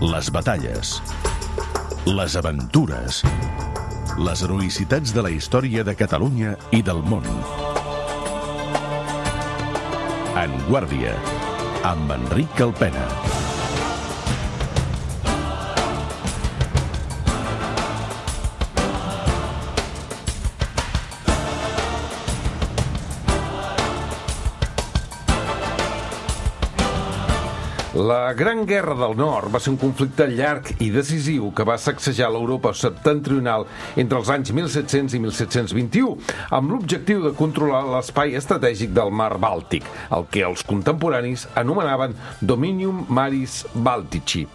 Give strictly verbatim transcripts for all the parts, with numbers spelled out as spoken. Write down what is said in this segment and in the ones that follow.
les batalles, les aventures, les heroïcitats de la història de Catalunya i del món. En Guàrdia, amb Enric Calpena. La Gran Guerra del Nord va ser un conflicte llarg i decisiu que va sacsejar l'Europa septentrional entre els anys mil set-cents i mil set-cents vint-i-u, amb l'objectiu de controlar l'espai estratègic del mar Bàltic, el que els contemporanis anomenaven Dominium Maris Baltici.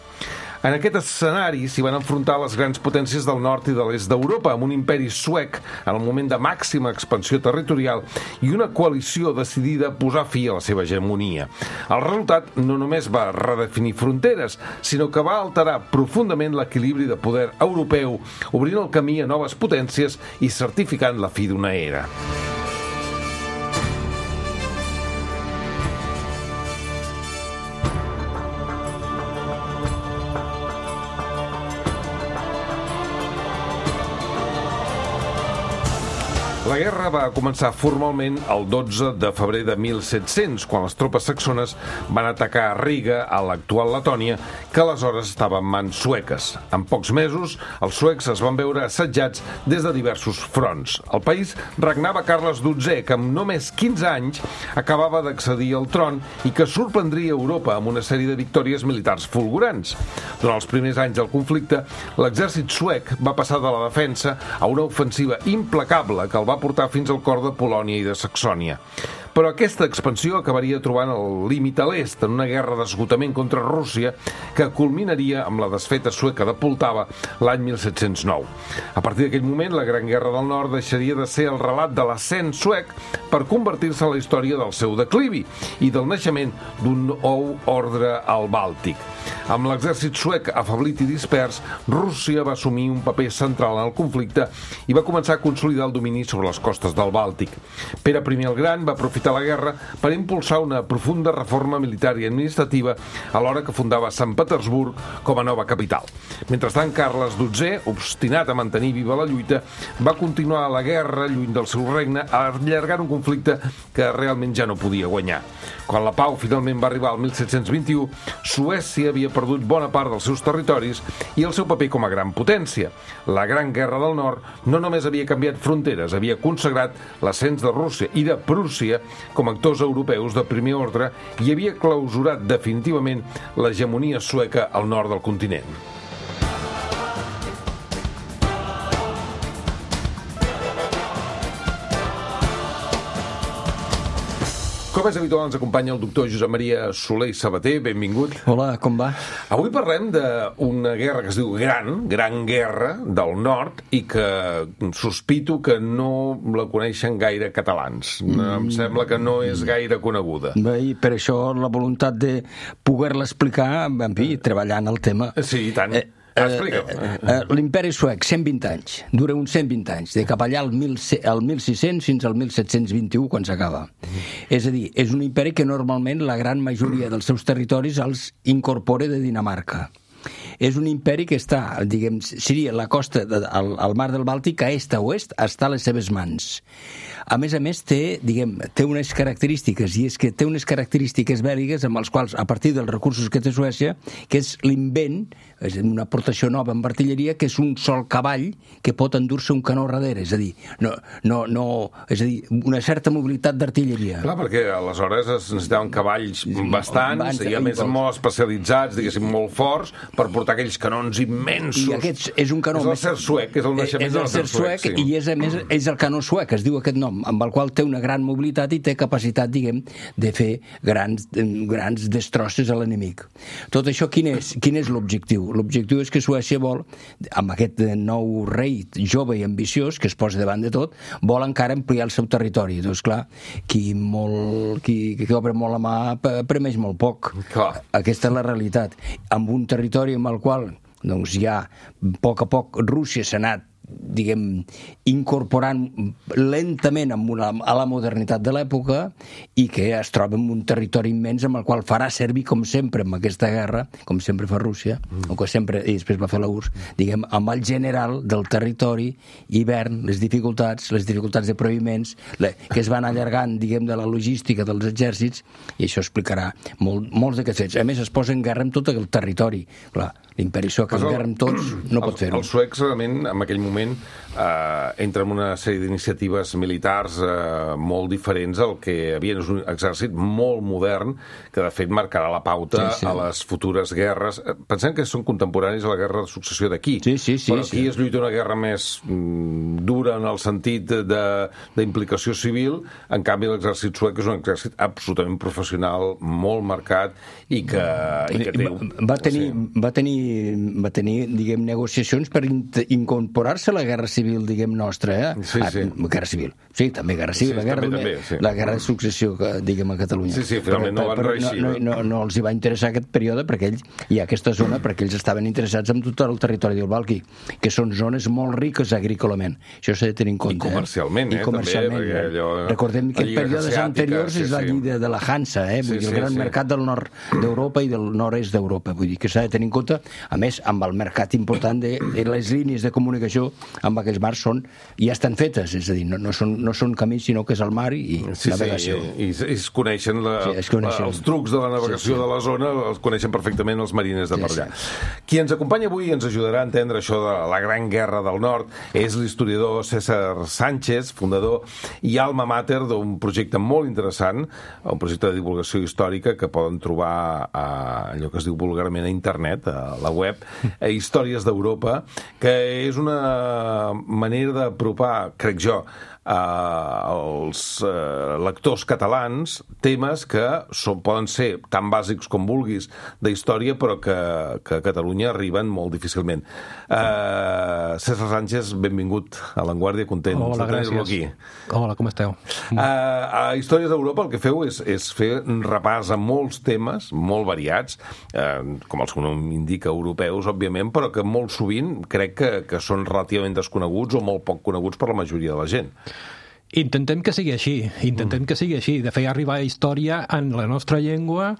En aquest escenari s'hi van enfrontar les grans potències del nord i de l'est d'Europa, amb un imperi suec en el moment de màxima expansió territorial i una coalició decidida a posar fi a la seva hegemonia. El resultat no només va redefinir fronteres, sinó que va alterar profundament l'equilibri de poder europeu, obrint el camí a noves potències i certificant la fi d'una era. La guerra va començar formalment el dotze de febrer de mil set-cents, quan les tropes saxones van atacar Riga, a l'actual Letònia, que aleshores estava en mans sueques. En pocs mesos, els suecs es van veure assetjats des de diversos fronts. Al país regnava Carles dotzè, que amb només quinze anys acabava d'accedir al tron i que sorprendria Europa amb una sèrie de victòries militars fulgurants. Durant els primers anys del conflicte, l'exèrcit suec va passar de la defensa a una ofensiva implacable que el va portar fins al cor de Polònia i de Saxònia. Però aquesta expansió acabaria trobant el límit a l'est en una guerra d'esgotament contra Rússia que culminaria amb la desfeta sueca de Poltava l'any mil set-cents nou. A partir d'aquell moment, la Gran Guerra del Nord deixaria de ser el relat de l'ascens suec per convertir-se en la història del seu declivi i del naixement d'un nou ordre al Bàltic. Amb l'exèrcit suec afeblit i dispers, Rússia va assumir un paper central en el conflicte i va començar a consolidar el domini sobre les costes del Bàltic. Pere primer el Gran va aprofitar la guerra per impulsar una profunda reforma militar i administrativa alhora que fundava Sant Petersburg com a nova capital. Mentrestant, Carles dotzè, obstinat a mantenir viva la lluita, va continuar la guerra lluny del seu regne, allargant un conflicte que realment ja no podia guanyar. Quan la pau finalment va arribar al mil set-cents vint-i-u, Suècia havia perdut bona part dels seus territoris i el seu paper com a gran potència. La Gran Guerra del Nord no només havia canviat fronteres, havia consagrat l'ascens de Rússia i de Prússia com a actors europeus de primer ordre i havia clausurat definitivament l'hegemonia sueca al nord del continent. Com és habitual, ens acompanya el doctor Josep Maria Soler i Sabater. Benvingut. Hola, com va? Avui parlem d'una guerra que es diu Gran, Gran Guerra del Nord i que sospito que no la coneixen gaire catalans. Em sembla que no és gaire coneguda. Bé, i per això la voluntat de poder-la explicar, en fi, treballant el tema. Sí, i tant. Eh, Explica'm. Eh, eh, L'imperi suec, cent vint anys. Dura uns cent vint anys, de cap allà al, mil, al mil sis-cents fins al mil set-cents vint-i-u, quan s'acaba. Mm. És a dir, és un imperi que normalment la gran majoria dels seus territoris els incorpora de Dinamarca. És un imperi que està, diguem, seria la costa de, al, al mar del Bàltic, a est a oest, està a les seves mans. A més a més, té, diguem, té unes característiques, i és que té unes característiques bèl·liques amb les quals, a partir dels recursos que té Suècia, que és l'invent, és una aportació nova en artilleria, que és un sol cavall que pot endur-se un canó darrere, és a dir, no, no, no, és a dir, una certa mobilitat d'artilleria. Clar, perquè aleshores es necessitaven cavalls bastants, Abans, i a més molt especialitzats, diguéssim, molt forts, per portar aquells canons immensos. I aquest és un canó... És el ser suec, és el naixement del ser suec. Sí. I és, a més, és el canó suec, es diu aquest nom, amb el qual té una gran mobilitat i té capacitat, diguem, de fer grans, grans destrosses a l'enemic. Tot això, quin és, quin és l'objectiu? L'objectiu és que Suècia vol, amb aquest nou rei jove i ambiciós, que es posa davant de tot, vol encara ampliar el seu territori. Doncs, clar, qui, molt, qui, qui obre molt la mà premeix molt poc. Clar. Aquesta és la realitat. Amb un territori amb el qual doncs ja, a poc a poc, Rússia s'ha anat diguem, incorporant lentament amb una, a la modernitat de l'època i que es troba en un territori immens amb el qual farà servir, com sempre, amb aquesta guerra, com sempre fa Rússia, mm. o que sempre, i després va fer la U R S S, diguem, amb el general del territori, hivern, les dificultats, les dificultats de prohibiments, que es van allargant, diguem, de la logística dels exèrcits, i això explicarà molt, molts d'aquests fets. A més, es posa en guerra amb tot el territori. Clar, l'imperi suec en guerra amb tots no pot fer-ho. Els suecs, realment, en aquell moment, eh, entra en una sèrie d'iniciatives militars eh, molt diferents al que havia. És un exèrcit molt modern que, de fet, marcarà la pauta sí, sí. a les futures guerres. Pensem que són contemporanis a la guerra de successió d'aquí. Sí, sí, sí, però aquí sí. es lluita una guerra més mm, dura en el sentit d'implicació civil. En canvi, l'exèrcit suec és un exèrcit absolutament professional, molt marcat i que, i que té... Va tenir, sí. va tenir, va tenir diguem, negociacions per incorporar-se a la guerra civil, diguem, nostra. Eh? Sí, sí. Ah, guerra civil. Sí, també guerra civil. Sí, la, guerra també, de, també, sí. la guerra de successió, que, diguem, a Catalunya. Sí, sí, finalment però, no van però, reeixir. No, no, no, no els hi va interessar aquest període perquè ells, i aquesta zona, perquè ells estaven interessats en tot el territori del Bàltic, que són zones molt riques agrícolament. Això s'ha de tenir en compte. I comercialment, eh? I comercialment. També, eh? Allò... Recordem que en períodes anteriors sí, és la sí. lliga de la Hansa, eh? Vull sí, dir, el gran sí, mercat sí. del nord d'Europa i del nord-est d'Europa. Vull dir que s'ha de tenir en compte, a més, amb el mercat important de, de les línies de comunicació amb aquells mars són, ja estan fetes, és a dir, no, no, són, no són camins, sinó que és el mar i sí, navegació. Sí, i, i es coneixen, la, sí, es coneixen els trucs de la navegació sí, sí. de la zona, els coneixen perfectament els mariners de per allà. Sí, sí. Qui ens acompanya avui i ens ajudarà a entendre això de la Gran Guerra del Nord és l'historiador César Sánchez, fundador i alma mater d'un projecte molt interessant, un projecte de divulgació històrica que poden trobar a allò que es diu vulgarment a internet, a la web, a Històries d'Europa, que és una manera d'apropar, crec jo, als eh, lectors catalans temes que són, poden ser tan bàsics com vulguis de història, però que, que a Catalunya arriben molt difícilment. Eh, César Sánchez, benvingut a L'Enguàrdia, content Hola, de tenir-lo aquí. Hola, com esteu? Eh, a Històries d'Europa el que feu és, és fer un repàs a molts temes molt variats, eh, com els que no indica europeus, òbviament, però que molt sovint crec que, que són relativament desconeguts o molt poc coneguts per la majoria de la gent. Intentem que sigui així, intentem que sigui així, de fer arribar història en la nostra llengua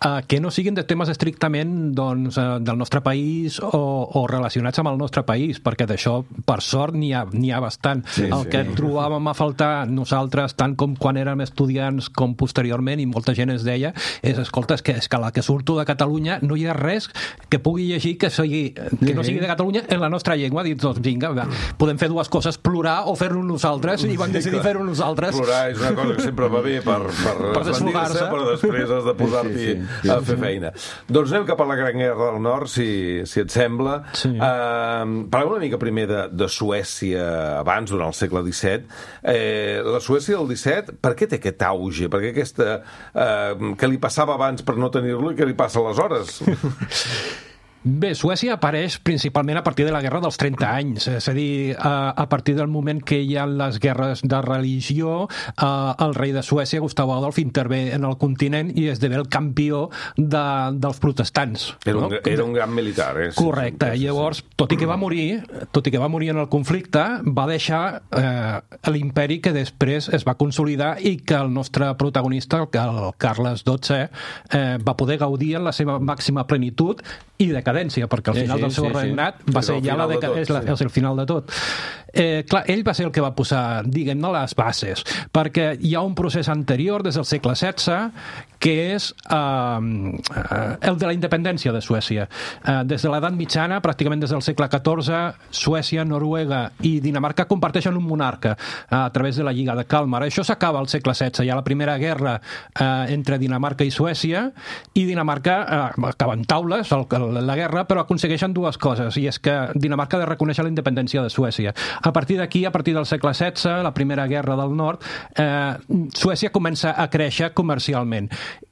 Uh, que no siguin de temes estrictament doncs, uh, del nostre país o, o relacionats amb el nostre país, perquè d'això, per sort, n'hi ha, n'hi ha bastant. Sí, el sí. que trobàvem a faltar nosaltres, tant com quan érem estudiants com posteriorment, i molta gent es deia, és, escolta, és que, és que la que surto de Catalunya no hi ha res que pugui llegir que, sigui, que no sigui de Catalunya en la nostra llengua. Dic, doncs vinga, va, podem fer dues coses, plorar o fer-ho nosaltres, i vam decidir fer-ho nosaltres. Plorar és una cosa que sempre va bé per, per, per desfogar-se, però després has de posar-t'hi sí, sí. a fer feina. Doncs anem cap a la Gran Guerra del Nord, si, si et sembla. Sí. Uh, parlem una mica primer de, de Suècia abans, durant el segle disset. Eh, la Suècia del disset, per què té aquest auge? Per què aquesta... Uh, què li passava abans per no tenir-lo i què li passa aleshores? Bé, Suècia apareix principalment a partir de la Guerra dels trenta anys, és a dir, a, a partir del moment que hi ha les guerres de religió, eh, el rei de Suècia, Gustav Adolf, intervé en el continent i esdevé el campió de, dels protestants. Era un, no? era un gran militar, eh? Correcte. Sí, sí, llavors, tot i que va morir, tot i que va morir en el conflicte, va deixar eh, l'imperi que després es va consolidar i que el nostre protagonista, el Carles dotze, eh, va poder gaudir en la seva màxima plenitud i decadència, perquè al final sí, sí, del seu sí, regnat sí. va ser ja la deca... tot, és, la, sí. és el final de tot. Eh, clar, ell va ser el que va posar, diguem-ne, les bases, perquè hi ha un procés anterior, des del segle setze, que és eh, el de la independència de Suècia. Eh, des de l'edat mitjana, pràcticament des del segle catorze, Suècia, Noruega i Dinamarca comparteixen un monarca eh, a través de la Lliga de Kalmar. Això s'acaba al segle setze. Hi ha la primera guerra eh, entre Dinamarca i Suècia, i Dinamarca eh, acaba en taules el, la guerra, però aconsegueixen dues coses, i és que Dinamarca ha de reconèixer la independència de Suècia. A partir d'aquí, a partir del segle setze, la primera guerra del nord, eh, Suècia comença a créixer comercialment.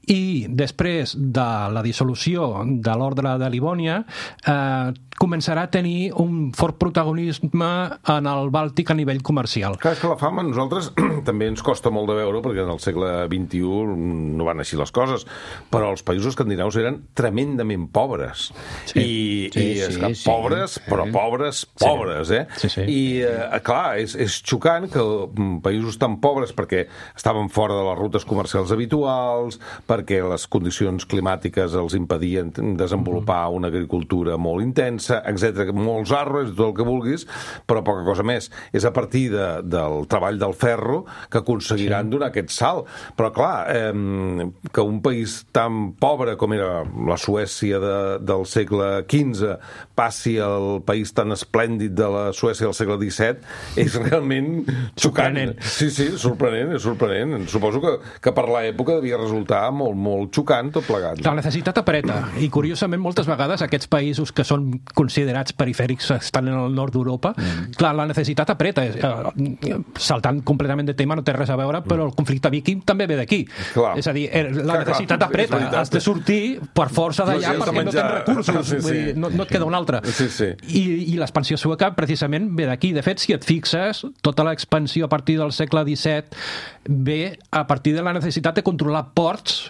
I després de la dissolució de l'ordre de Livònia, eh, començarà a tenir un fort protagonisme en el Bàltic a nivell comercial. Clar, és que la fam a nosaltres també ens costa molt de veure, perquè en el segle vint-i-u no van així les coses, però els països escandinaus eren tremendament pobres. Sí, I, sí, i és sí, que sí. pobres, però pobres, pobres, eh? Sí, sí. I, eh, clar, és, és xocant que països tan pobres, perquè estaven fora de les rutes comercials habituals, perquè les condicions climàtiques els impedien desenvolupar una agricultura molt intensa, etcètera, molts arbres, tot el que vulguis, però poca cosa més. És a partir de, del treball del ferro que aconseguiran sí. donar aquest salt. Però, clar, eh, que un país tan pobre com era la Suècia de, del segle quinze passi al país tan esplèndid de la Suècia del segle disset és realment xocant. Sí, sí, sorprenent, és sorprenent. Suposo que, que per l'època devia resultar molt, molt xocant tot plegat. La necessitat apreta, i curiosament moltes vegades aquests països que són considerats perifèrics estan en el nord d'Europa, mm. clar, la necessitat apreta, eh, saltant completament de tema, no té res a veure, però el conflicte viking també ve d'aquí. És a dir, la clar, necessitat clar, apreta, has de sortir per força d'allà no, sí, perquè no tens recursos, sí, sí. Vull dir, no, no et queda un altre. Sí, sí. I, i l'expansió sueca precisament ve d'aquí. De fet, si et fixes, tota l'expansió a partir del segle disset ve a partir de la necessitat de controlar ports.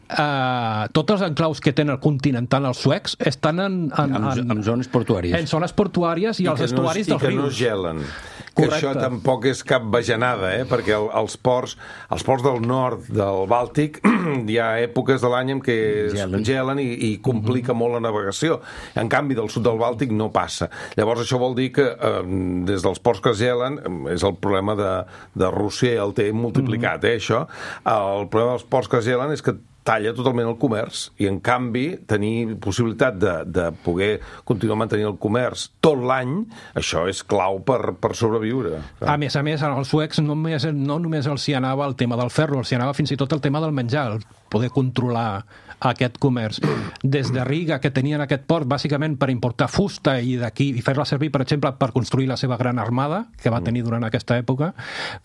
Uh, tots els enclaus que tenen el continental els suecs estan en, en, en, en, en zones portuàries en zones portuàries i, I els estuaris no, dels rius i que no gelen. Que això tampoc és cap bajanada, eh? Perquè el, els ports els ports del nord del Bàltic hi ha èpoques de l'any en què gelen, gelen i, i complica mm-hmm. molt la navegació. En canvi, del sud del Bàltic no passa. Llavors això vol dir que eh, des dels ports que es gelen, és el problema de, de Rússia, el té multiplicat, mm-hmm. eh, això. El problema dels ports que es gelen és que talla totalment el comerç i, en canvi, tenir possibilitat de, de poder continuar mantenint el comerç tot l'any, això és clau per, per sobreviure. A més a més, als suecs no només, no només els hi anava el tema del ferro, els hi anava fins i tot el tema del menjar, el poder controlar aquest comerç. Des de Riga, que tenien aquest port bàsicament per importar fusta i d'aquí i fer-la servir, per exemple, per construir la seva gran armada, que va tenir durant aquesta època,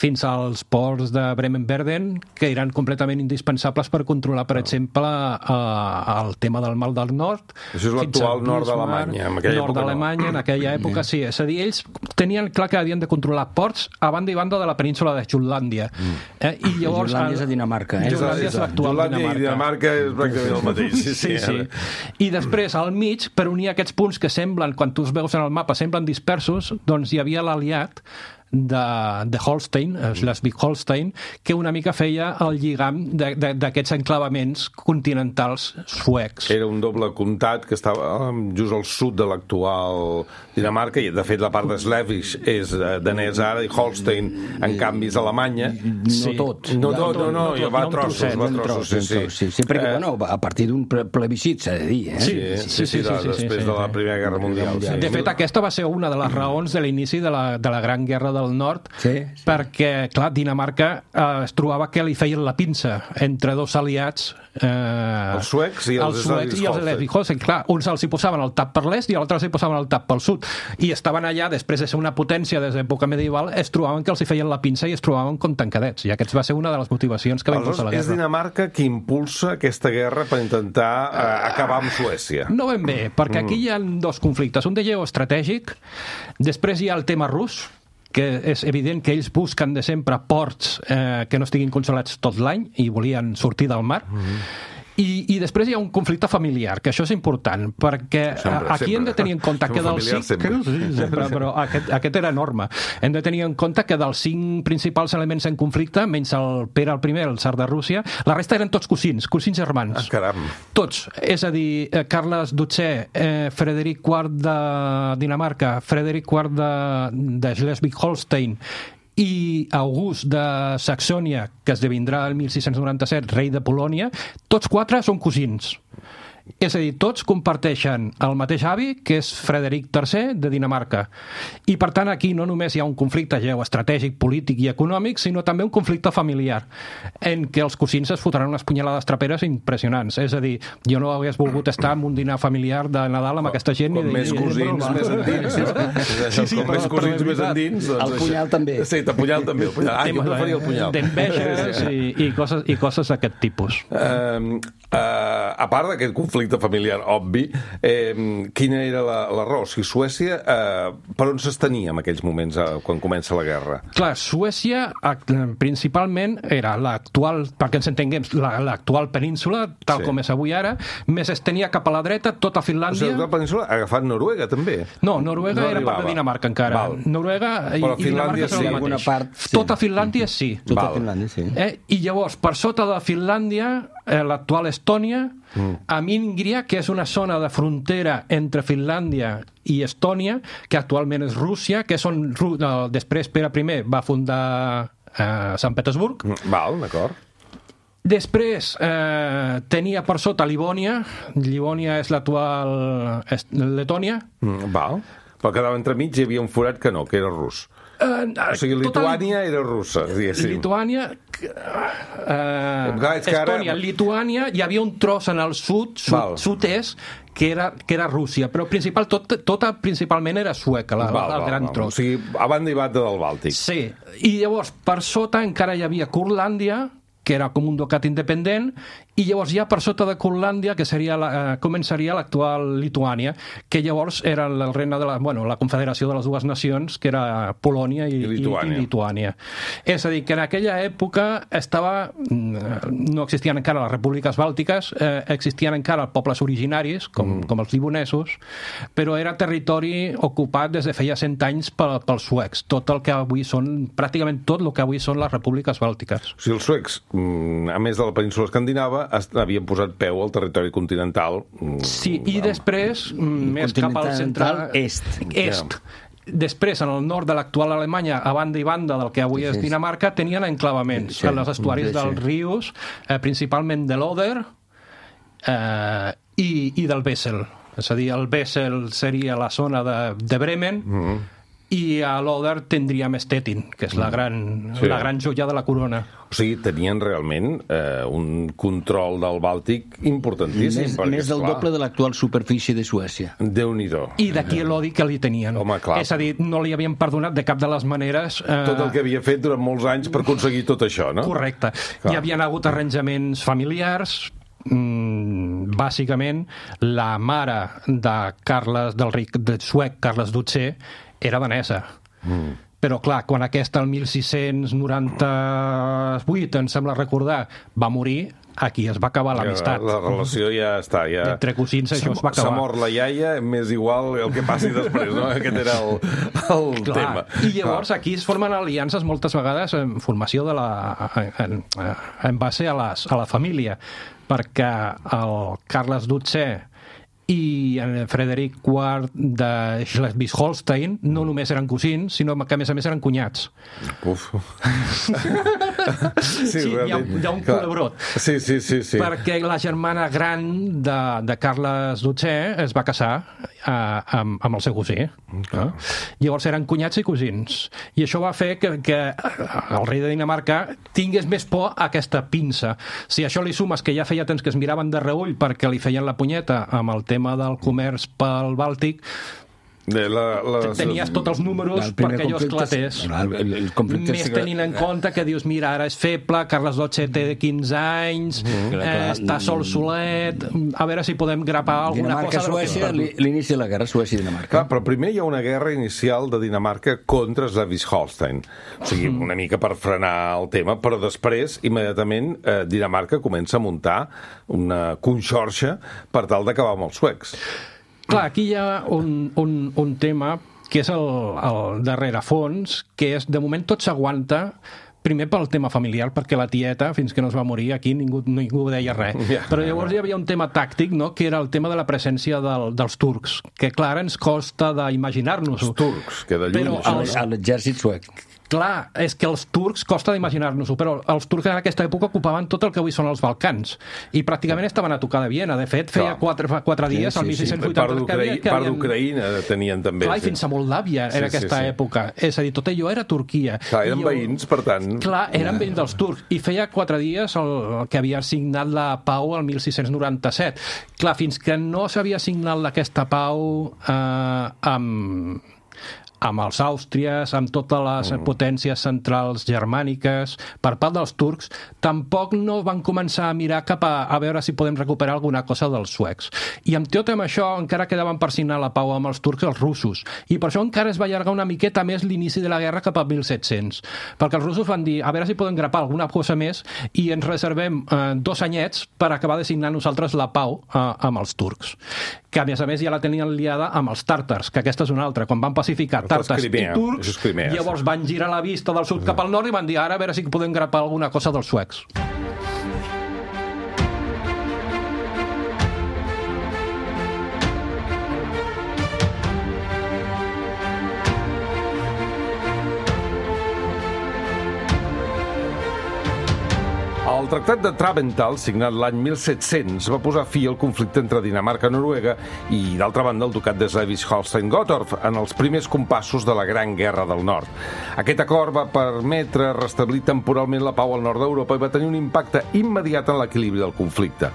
fins als ports de Bremen-Verden, que eren completament indispensables per controlar, per exemple, eh, el tema del Mar del Nord. Això és l'actual nord d'Alemanya. En aquella nord d'Alemanya, no. En aquella època, sí. És a dir, ells tenien clar que havien de controlar ports a banda i banda de la península de Jutlàndia. Eh? I llavors... Jutlàndia és a Dinamarca. Eh? Jutlàndia és l'actual Dinamarca. Jutlàndia i Dinamarca és pràcticament el mateix. Sí, sí, sí, sí. I després, al mig, per unir aquests punts que semblen, quan tu els veus en el mapa, semblen dispersos, doncs hi havia l'aliat de, de Holstein, Schleswig-Holstein, que una mica feia el lligam d'aquests enclavaments continentals suecs. Era un doble comtat que estava just al sud de l'actual Dinamarca, i de fet la part de Schleswig és danès ara, i Holstein en canvi és Alemanya. No tot. No tot, no, no, no, va a trossos, va a trossos, sí, sí. Sí, perquè, bueno, a partir d'un plebiscit, s'ha de dir, eh? Sí, sí, sí, després de la Primera Guerra Mundial. De fet, aquesta va ser una de les raons de l'inici de la, de la Gran Guerra del Nord, sí, sí. Perquè, clar, Dinamarca eh, es trobava que li feien la pinça entre dos aliats, eh, els suecs i els, els suecs i els Schleswig-Holstein. Clar, uns els hi posaven el tap per l'est i els altres hi posaven el tap pel sud, i estaven allà, després de ser una potència des d'època medieval, es trobaven que els hi feien la pinça i es trobaven com tancadets, i aquests va ser una de les motivacions que va impulsar la guerra. És Dinamarca qui impulsa aquesta guerra per intentar eh, acabar amb Suècia. No ben bé, perquè aquí hi ha dos conflictes, un de geoestratègic, després hi ha el tema rus, que és evident que ells busquen de sempre ports eh, que no estiguin controlats tot l'any i volien sortir del mar. Mm-hmm. I, I després hi ha un conflicte familiar, que això és important, perquè sempre, aquí sempre. Hem de tenir en compte que dels cinc... Sempre. Sí, sempre, però aquest, aquest era enorme. Hem de tenir en compte que dels cinc principals elements en conflicte, menys el Pere el primer, el tsar de Rússia, la resta eren tots cosins, cosins germans. Ah, caram. Tots. És a dir, Carles dotzè, eh, Frederic quart de Dinamarca, Frederic quart de, de Schleswig-Holstein i August de Saxònia, que esdevindrà el mil sis-cents noranta-set rei de Polònia, tots quatre són cosins. És a dir, tots comparteixen el mateix avi, que és Frederic tercer de Dinamarca. I, per tant, aquí no només hi ha un conflicte geoestratègic, polític i econòmic, sinó també un conflicte familiar, en què els cosins es fotran unes punyalades traperes impressionants. És a dir, jo no hagués volgut estar en un dinar familiar de Nadal amb aquesta gent. Com més cosins, més endins. Sí, sí, com més cosins, més endins. El punyal també. Sí, el punyal també. Ah, jo preferia el punyal. D'enveges i coses d'aquest tipus. A part d'aquest conflicte, conflicte familiar obvi. Eh, quina era la, la raó? Si Suècia, eh, per on s'estenia en aquells moments eh, quan comença la guerra? Clar, Suècia principalment era l'actual, perquè ens entenguem, l'actual península, tal Sí. com és avui ara, més es tenia cap a la dreta tota O sigui, Finlàndia. la península ha agafat Noruega, també? No, Noruega No era part arribava. de Dinamarca encara. Val. Noruega i, Però i Finlàndia Dinamarca són sí. el Alguna mateix. part, sí. Tota Finlàndia sí. Tota Val. Finlàndia, sí. Eh? I llavors, per sota de Finlàndia, eh, l'actual Estònia, mm. a Míngria, que és una zona de frontera entre Finlàndia i Estònia, que actualment és Rússia, que és on Ru- no, després Pere I va fundar eh, Sant Petersburg. Val, d'acord. Després eh, tenia per sota Livònia. Livònia és l'actual est- Letònia. Mm, val. Però quedava entremig i hi havia un forat que no, que era rus. Eh, O sigui, tota Lituània era russa, diguéssim. Lituània, eh, Clar, és que ara- Estònia, Lituània, hi havia un tros en el sud, Val. sud sud-est, que era, que era Rússia, però principal, tot, tota principalment era sueca, la, Val, el val, gran val. tros. O sigui, a banda i banda del Bàltic. Sí, i llavors per sota encara hi havia Curlàndia, que era com un ducat independent, i llavors ja per sota de Curlàndia, que seria la, eh, començaria l'actual Lituània, que llavors era el regne de la, bueno, la confederació de les dues nacions, que era Polònia i, I Lituània. i, i Lituània. És a dir, que en aquella època estava, no existien encara les repúbliques bàltiques, eh, existien encara pobles originaris, com, mm. com els libonesos, però era territori ocupat des de feia cent anys pel, pels suecs, tot el que avui són, pràcticament tot el que avui són les repúbliques bàltiques. O sigui, els suecs, mm, a més de la península escandinava, est- havien posat peu al territori continental. mm, Sí, i després, mm, més cap al central... est. Est. Després, en el nord de l'actual Alemanya, a banda i banda del que avui és Sí. Dinamarca, tenien enclavaments Sí. en els estuaris Sí, sí. dels rius, eh, principalment de l'Oder eh, i, i del Wesel. És a dir, el Wesel seria la zona de, de Bremen, Mm. i a l'Oder tindríem Stettin, que és la gran, Sí. la gran joia de la corona. O sigui, tenien realment eh, un control del Bàltic importantíssim. Més, perquè, més del esclar, doble de l'actual superfície de Suècia. Déu-n'hi-do. I d'aquí l'odi que li tenien. Home, clar. És a dir, no li havien perdonat de cap de les maneres... Eh, Tot el que havia fet durant molts anys per aconseguir tot això, no? Correcte. Clar. Hi havien hagut arranjaments familiars, mm, bàsicament la mare de Carles del Ric, de suec Carles dotzè, era danesa. Mm. Però, clar, quan aquesta, el setze noranta-vuit, em sembla recordar, va morir, aquí es va acabar l'amistat. La relació ja està. Ja... Entre cosins això S'ha- es va acabar. S'ha mort la iaia, m'és igual el que passi després, no? Aquest era el, el Clar. tema. I llavors aquí es formen aliances moltes vegades en formació de la, en, en base a, les, a la família, perquè el Carles dotzè i en Frederic quart de Schleswig-Holstein no només eren cosins, sinó que a més a més eren cunyats. Uf. Sí, hi ha, hi ha un Clar. culebrot. Sí, sí, sí, sí. Perquè la germana gran de, de Carles dotzè es va casar eh, amb, amb el seu cosí. No? Llavors eren cunyats i cosins. I això va fer que, que el rei de Dinamarca tingués més por a aquesta pinça. Si això li sumes que ja feia temps que es miraven de reull perquè li feien la punyeta amb el tema del comerç pel Bàltic, De la, la... tenies tots els números El primer perquè allò conflicte- esclatés. el- el- el conflicte Més és- tenint en compte que dius, mira, ara és feble, Carles dotzè té quinze anys, Clar, eh, clar. està sol solet, a veure si podem grapar alguna cosa de lo que Dinamarca-Suècia, és. li- l'inici de la guerra Suècia-Dinamarca. Clar, però primer hi ha una guerra inicial de Dinamarca contra Schleswig-Holstein. O sigui, una mica per frenar el tema, però després, immediatament, eh, Dinamarca comença a muntar una conxorxa per tal d'acabar amb els suecs. Clar, aquí hi ha un, un, un tema que és el, el darrere fons, que és, de moment tot s'aguanta, primer pel tema familiar, perquè la tieta, fins que no es va morir, aquí ningú, ningú deia res. Ja. Però llavors hi havia un tema tàctic, no?, que era el tema de la presència del, dels turcs, que clar, ens costa d'imaginar-nos-ho. Els turcs, que de lluny... Però això- els- A l'exèrcit suec. Clar, és que els turcs costa d'imaginar-nos-ho, però els turcs en aquesta època ocupaven tot el que avui són els Balcans i pràcticament estaven a tocar de Viena. De fet, feia Clar. quatre, fa quatre dies, Sí, el sí, sí. setze Part vuitanta, que havia- d'Ucraï- que part havien- d'Ucraïna tenien també. Clar, i fins a Moldàvia Sí, en sí, aquesta sí. època. És a dir, tot allò era Turquia. Clar, eren I jo- veïns, per tant... Clar, eren veïns dels turcs. I feia quatre dies el, el que havia signat la pau el setze noranta-set. Clar, fins que no s'havia signat aquesta pau eh, amb amb els àustries, amb totes les mm. potències centrals germàniques, per part dels turcs, tampoc no van començar a mirar cap a, a veure si podem recuperar alguna cosa dels suecs. I amb tot amb això encara quedaven per signar la pau amb els turcs els russos, i per això encara es va allargar una miqueta més l'inici de la guerra cap a mil set-cents, perquè els russos van dir, a veure si podem grapar alguna cosa més i ens reservem eh, dos anyets per acabar de signar nosaltres la pau eh, amb els turcs, que a més a més ja la tenien liada amb els tàrtars, que aquesta és una altra, quan van pacificar tàrtars i turcs, Crimea, llavors sí. van girar la vista del sud cap al nord i van dir, ara a veure si podem grapar alguna cosa dels suecs. El Tractat de Traventhal, signat l'any mil set-cents, va posar fi al conflicte entre Dinamarca i Noruega i, d'altra banda, el ducat de Schleswig-Holstein-Gottorp en els primers compassos de la Gran Guerra del Nord. Aquest acord va permetre restablir temporalment la pau al nord d'Europa i va tenir un impacte immediat en l'equilibri del conflicte.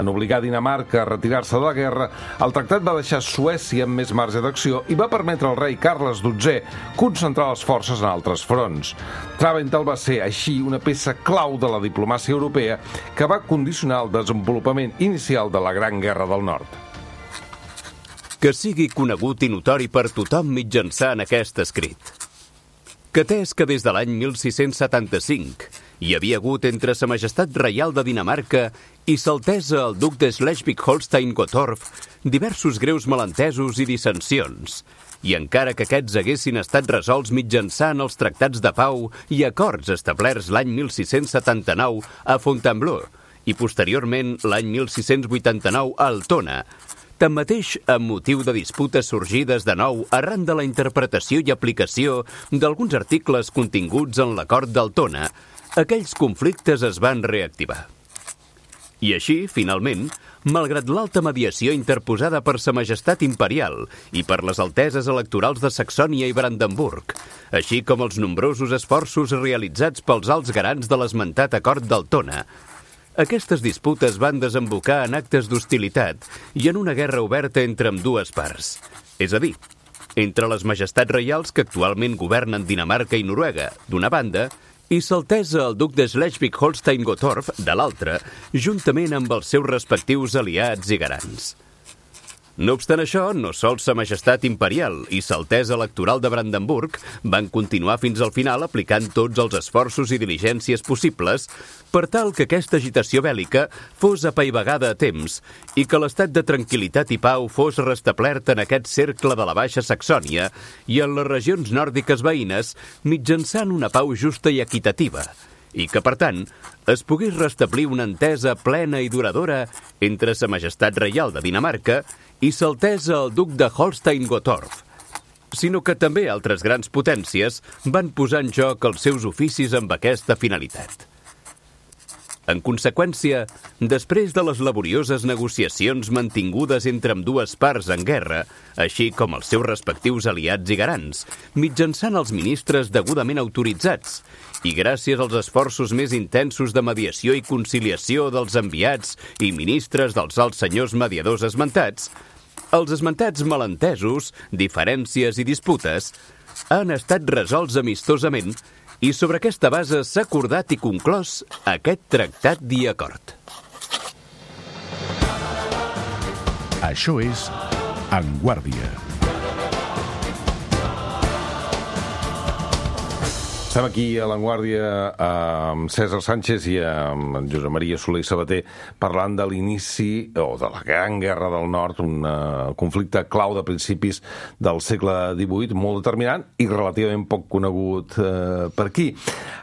En obligar Dinamarca a retirar-se de la guerra, el tractat va deixar Suècia amb més marge d'acció i va permetre al rei Carles dotzè concentrar les forces en altres fronts. Traventhal va ser, així, una peça clau de la diplomàcia europea que va condicionar el desenvolupament inicial de la Gran Guerra del Nord. Que sigui conegut i notori per tothom mitjançant aquest escrit. Que atès que des de l'any mil sis-cents setanta-cinc hi havia hagut entre Sa Majestat Reial de Dinamarca i S'Altesa el duc de Schleswig-Holstein-Gottorp diversos greus malentesos i dissensions, i encara que aquests haguessin estat resolts mitjançant els tractats de pau i acords establerts l'any mil sis-cents setanta-nou a Fontainebleau i posteriorment l'any mil sis-cents vuitanta-nou a Altona, tanmateix, amb motiu de disputes sorgides de nou arran de la interpretació i aplicació d'alguns articles continguts en l'acord d'Altona, aquells conflictes es van reactivar. I així, finalment, malgrat l'alta mediació interposada per Sa Majestat Imperial i per les alteses electorals de Saxònia i Brandenburg, així com els nombrosos esforços realitzats pels alts garants de l'esmentat acord d'Altona, aquestes disputes van desembocar en actes d'hostilitat i en una guerra oberta entre ambdues parts, és a dir, entre les majestats reials que actualment governen Dinamarca i Noruega, d'una banda, i S'Altesa el duc de Schleswig-Holstein-Gottorp, de l'altra, juntament amb els seus respectius aliats i garants. No obstant això, no sols Sa Majestat Imperial i S'Altesa Electoral de Brandenburg van continuar fins al final aplicant tots els esforços i diligències possibles per tal que aquesta agitació bèl·lica fos apaivagada a temps i que l'estat de tranquil·litat i pau fos restablert en aquest cercle de la Baixa Saxònia i en les regions nòrdiques veïnes mitjançant una pau justa i equitativa, i que, per tant, es pogués restablir una entesa plena i duradora entre Sa Majestat Reial de Dinamarca i S'Altesa el duc de Holstein-Gottorp, sinó que també altres grans potències van posar en joc els seus oficis amb aquesta finalitat. En conseqüència, després de les laborioses negociacions mantingudes entre ambdues parts en guerra, així com els seus respectius aliats i garants, mitjançant els ministres degudament autoritzats, i gràcies als esforços més intensos de mediació i conciliació dels enviats i ministres dels alts senyors mediadors esmentats, els esmentats malentesos, diferències i disputes han estat resolts amistosament i sobre aquesta base s'ha acordat i conclòs aquest tractat i acord. Això és En Guàrdia. Estem aquí a l'Avantguàrdia amb César Sánchez i amb Josep Maria Soler i Sabater parlant de l'inici, o de la Gran Guerra del Nord, un uh, conflicte clau de principis del segle divuit, molt determinant i relativament poc conegut uh, per aquí.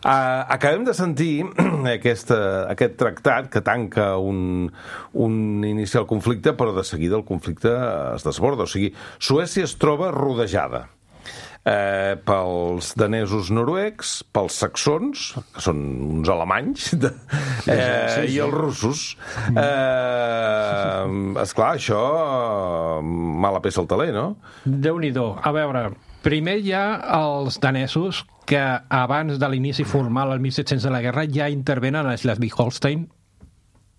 Uh, acabem de sentir aquesta, aquest tractat que tanca un, un inicial conflicte, però de seguida el conflicte es desborda. O sigui, Suècia es troba rodejada. Eh, pels danesos noruecs, pels saxons, que són uns alemanys, de, eh, sí, sí. i els russos. Eh, esclar, això mala peça al taler, no? Déu-n'hi-do. A veure, primer hi ha els danesos que abans de l'inici formal, el mil set-cents de la guerra, ja intervenen a Schleswig-Holstein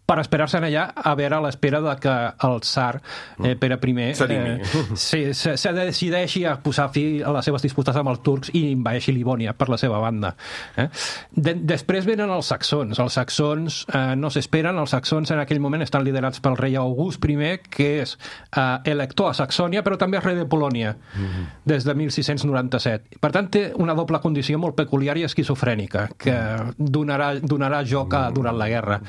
per esperar-se allà a veure a l'espera de que el tsar eh, Pere I eh, se, se, se decideixi a posar fi a les seves disputes amb els turcs i envaeixi Livònia per la seva banda. Eh? De, després venen els saxons. Els saxons eh, no s'esperen, els saxons en aquell moment estan liderats pel rei August I, que és eh, elector a Saxònia, però també és rei de Polònia, mm-hmm. des de mil sis-cents noranta-set. Per tant, té una doble condició molt peculiar i esquizofrènica, que donarà, donarà joc a, durant la guerra.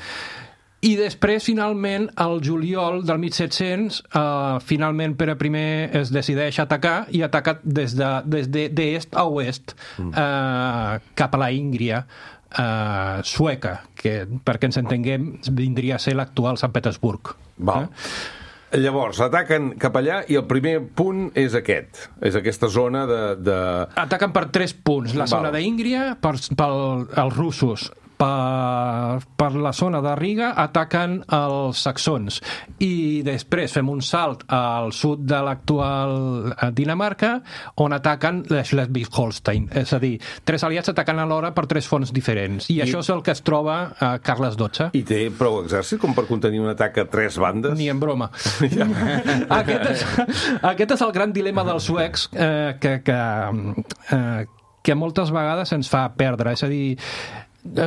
I després, finalment, al juliol del mil set-cents, eh, finalment Pere I es decideix atacar i ataca des de, des de, d'est a oest, eh, cap a la Íngria eh, sueca, que, perquè ens entenguem, vindria a ser l'actual Sant Petersburg. Val. Eh? Llavors, ataquen cap allà i el primer punt és aquest, és aquesta zona de... de... Ataquen per tres punts. La zona d'Íngria, per, per els russos, per, per la zona de Riga ataquen els saxons i després fem un salt al sud de l'actual Dinamarca on ataquen Schleswig-Holstein, és a dir, tres aliats ataquen alhora per tres fronts diferents i, I això és el que es troba a Carles dotze. I té prou exèrcit com per contenir un atac a tres bandes? Ni en broma. Ja. aquest, és, aquest és el gran dilema dels suecs eh, que, que, eh, que moltes vegades ens fa perdre, és a dir,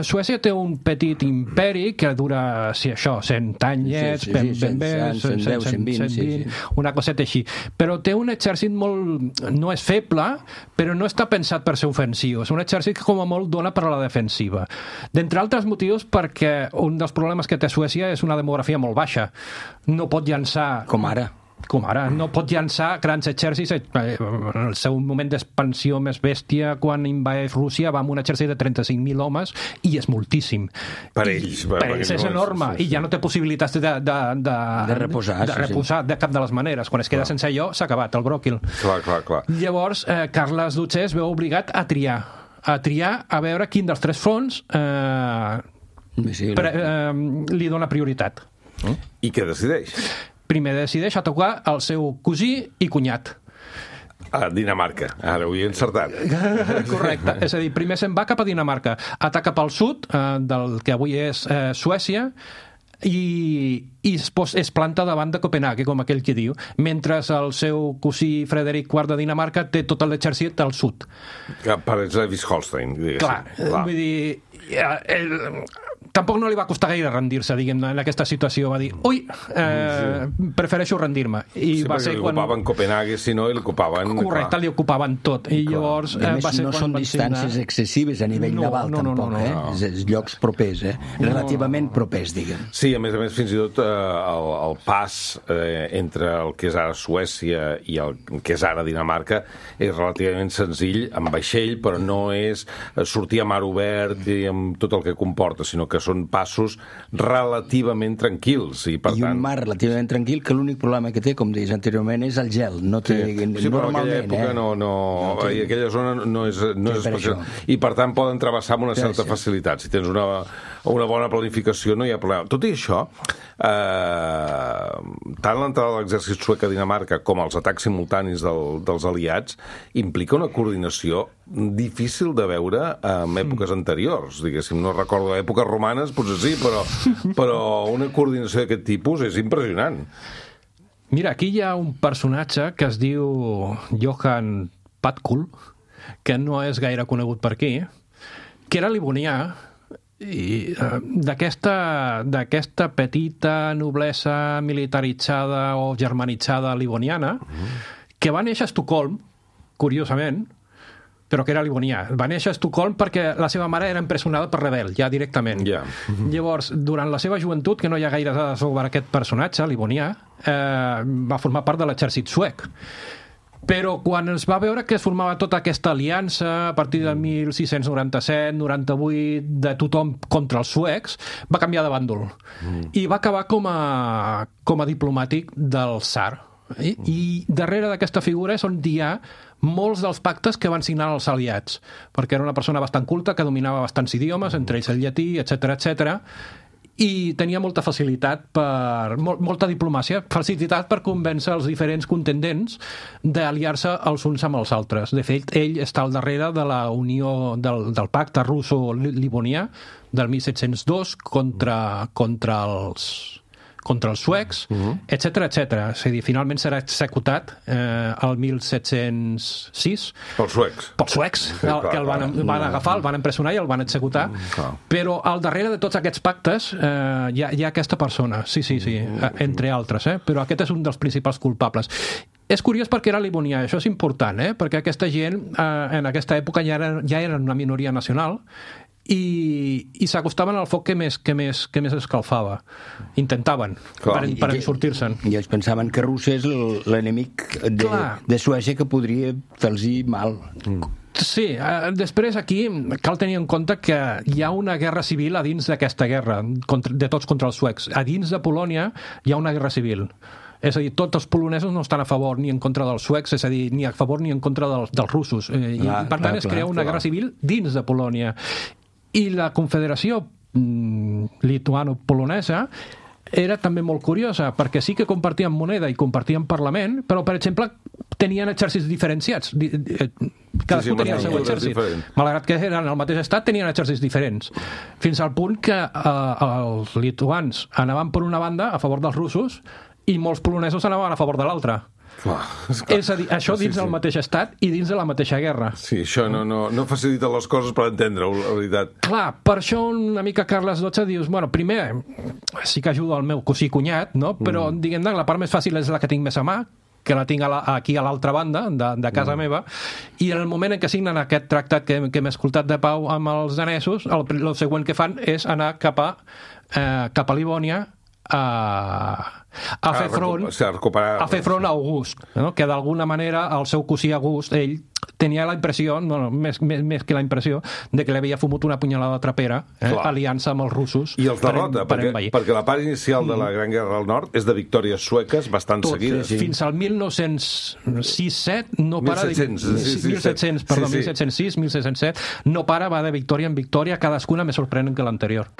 Suècia té un petit imperi que dura, si això, cent anyets, sí, sí, ben, ben bé, cent deu, cent vint, sí, sí. una coseta així. Però té un exèrcit molt... no és feble, però no està pensat per ser ofensiu. És un exèrcit que com a molt dona per a la defensiva. D'entre altres motius perquè un dels problemes que té Suècia és una demografia molt baixa. No pot llançar... Com ara. Com ara, no pot llançar grans exèrcits. En el seu moment d'expansió més bèstia, quan invadeix Rússia, va amb un exèrcit de trenta-cinc mil homes, i és moltíssim. Per ells. I, per ells és enorme, sí, sí. I ja no té possibilitats de, de, de, de reposar, de, reposar sí, sí. de cap de les maneres. Quan es queda clar. sense allò, s'ha acabat el bròquil. Clar, clar, clar. Llavors, eh, Carles dotze es veu obligat a triar, a triar a veure quin dels tres fronts eh, sí, pre, eh, li dona prioritat. Mm? I què decideix? Primer decideix atacar el seu cosí i cunyat. A Dinamarca, ara ho he encertat. Correcte, és a dir, primer se'n va cap a Dinamarca, ataca pel sud, eh, del que avui és eh, Suècia, i, i es, pos, es planta davant de Copenhague, com aquell que diu, mentre el seu cosí Frederic quart de Dinamarca té tot l'exèrcit al sud. Per Schleswig-Holstein, diguéssim. Clar, Clar, vull dir... El, tampoc no li va costar gaire rendir-se, diguem, en aquesta situació. Va dir, ui, eh, sí. prefereixo rendir-me. I sí, va perquè ser li quan... ocupaven Copenhague, si no, i li ocupaven... Correcte, clar. Li ocupaven tot. I clar. Llavors... Eh, més, va ser no quan són distàncies signar... excessives a nivell no, naval, no, no, tampoc, no, no, eh? no. És, és llocs propers, eh? Relativament no. propers, diguem. Sí, a més a més, fins i tot eh, el, el pas eh, entre el que és ara Suècia i el que és ara Dinamarca és relativament senzill, amb vaixell, però no és sortir a mar obert i amb tot el que comporta, sinó que són passos relativament tranquils. I, per I un tant... mar relativament tranquil, que l'únic problema que té, com deies anteriorment, és el gel. No té, sí, sí, però en aquella època eh? no, no, no té... i aquella zona no és, no és especial. I per tant poden travessar amb una certa sí, sí. facilitat. Si tens una, una bona planificació no hi ha problema. Tot i això, eh, tant l'entrada de l'exèrcit suec a Dinamarca com els atacs simultanis del, dels aliats implica una coordinació difícil de veure en èpoques anteriors. Diguéssim, no recordo èpoques romanes, potser sí, però, però una coordinació d'aquest tipus és impressionant. Mira, aquí hi ha un personatge que es diu Johan Patkul, que no és gaire conegut per aquí, que era livonià, i uh, d'aquesta d'aquesta petita noblesa militaritzada o germanitzada livoniana, que va néixer a Estocolm, curiosament, però que era livonià. Va néixer a Estocolm perquè la seva mare era empresonada per rebel, ja directament. Yeah. Llavors, durant la seva joventut, que no hi ha gaire dades sobre aquest personatge, livonià, eh, va formar part de l'exèrcit suec. Però quan es va veure que es formava tota aquesta aliança a partir del mil sis-cents noranta-set noranta-vuit de tothom contra els suecs, va canviar de bàndol. Mm. I va acabar com a, com a diplomàtic del tsar. I, i darrere d'aquesta figura és on hi ha molts dels pactes que van signar els aliats, perquè era una persona bastant culta que dominava bastants idiomes, entre ells el llatí, etcètera, etcètera. i tenia molta facilitat per... Mol, molta diplomàcia, facilitat per convèncer els diferents contendents d'aliar-se els uns amb els altres. De fet, ell està al darrere de la unió del, del pacte russo-livonià del mil set-cents dos contra, contra els contra els suecs, uh-huh. etcètera, etcètera. És a dir, finalment serà executat eh, el mil set-cents sis. Pels suecs. Pels suecs, sí, el, que el van, van agafar, el van empresonar i el van executar. Uh-huh. Però al darrere de tots aquests pactes eh, hi, ha, hi ha aquesta persona, sí, sí, sí, uh-huh. entre altres, eh? Però aquest és un dels principals culpables. És curiós perquè era livonià, això és important, eh? Perquè aquesta gent eh, en aquesta època ja, era, ja eren una minoria nacional i, i s'acostaven al foc que més, que més, que més escalfava. Intentaven, Clar. per, per sortir-se'n. I ells pensaven que Rússia és l'enemic de, de Suècia que podria fer-los mal. Mm. Sí, eh, després aquí cal tenir en compte que hi ha una guerra civil a dins d'aquesta guerra, contra, de tots contra els suecs. A dins de Polònia hi ha una guerra civil. És a dir, tots els polonesos no estan a favor ni en contra dels suecs, és a dir, ni a favor ni en contra dels, dels russos. Eh, clar, I, per tant, clar, es crea una clar. guerra civil dins de Polònia. I la confederació mm, lituano-polonesa era també molt curiosa, perquè sí que compartien moneda i compartien parlament, però, per exemple, tenien exèrcits diferenciats. Cadascú sí, sí, tenia el seu exèrcit. Malgrat que eren el mateix estat, tenien exèrcits diferents. Fins al punt que eh, els lituans anaven per una banda a favor dels russos i molts polonesos anaven a favor de l'altra. Clar, és, clar. és a dir, això dins sí, sí. del mateix estat i dins de la mateixa guerra. Sí, això no, no, no facilita les coses per entendre-ho, la veritat. Clar, per això una mica Carles dotze dius, bueno, primer, sí que ajudo el meu cosí cunyat, no? Però, mm. diguem-ne, la part més fàcil és la que tinc més a mà, que la tinc a la, aquí a l'altra banda, de, de casa mm. meva, i en el moment en què signen aquest tractat que, que hem escoltat de pau amb els danesos, el, el següent que fan és anar cap a, eh, cap a Livònia a... a fer front a fer front a August, no? Que d'alguna manera el seu cosí August, ell tenia la impressió, no, no, més, més, més que la impressió de que li havia fumut una punyalada trapera, eh, aliança amb els russos i els derrota, per, per perquè, perquè la part inicial de la Gran Guerra del Nord és de victòries sueques bastant Tot, seguides. Sí, sí. Fins al mil nou-cents sis set no para de... mil set-cents, perdó, sí, sí. mil set-cents sis, mil set-cents set no para, va de victòria en victòria, cadascuna més sorprenent que l'anterior.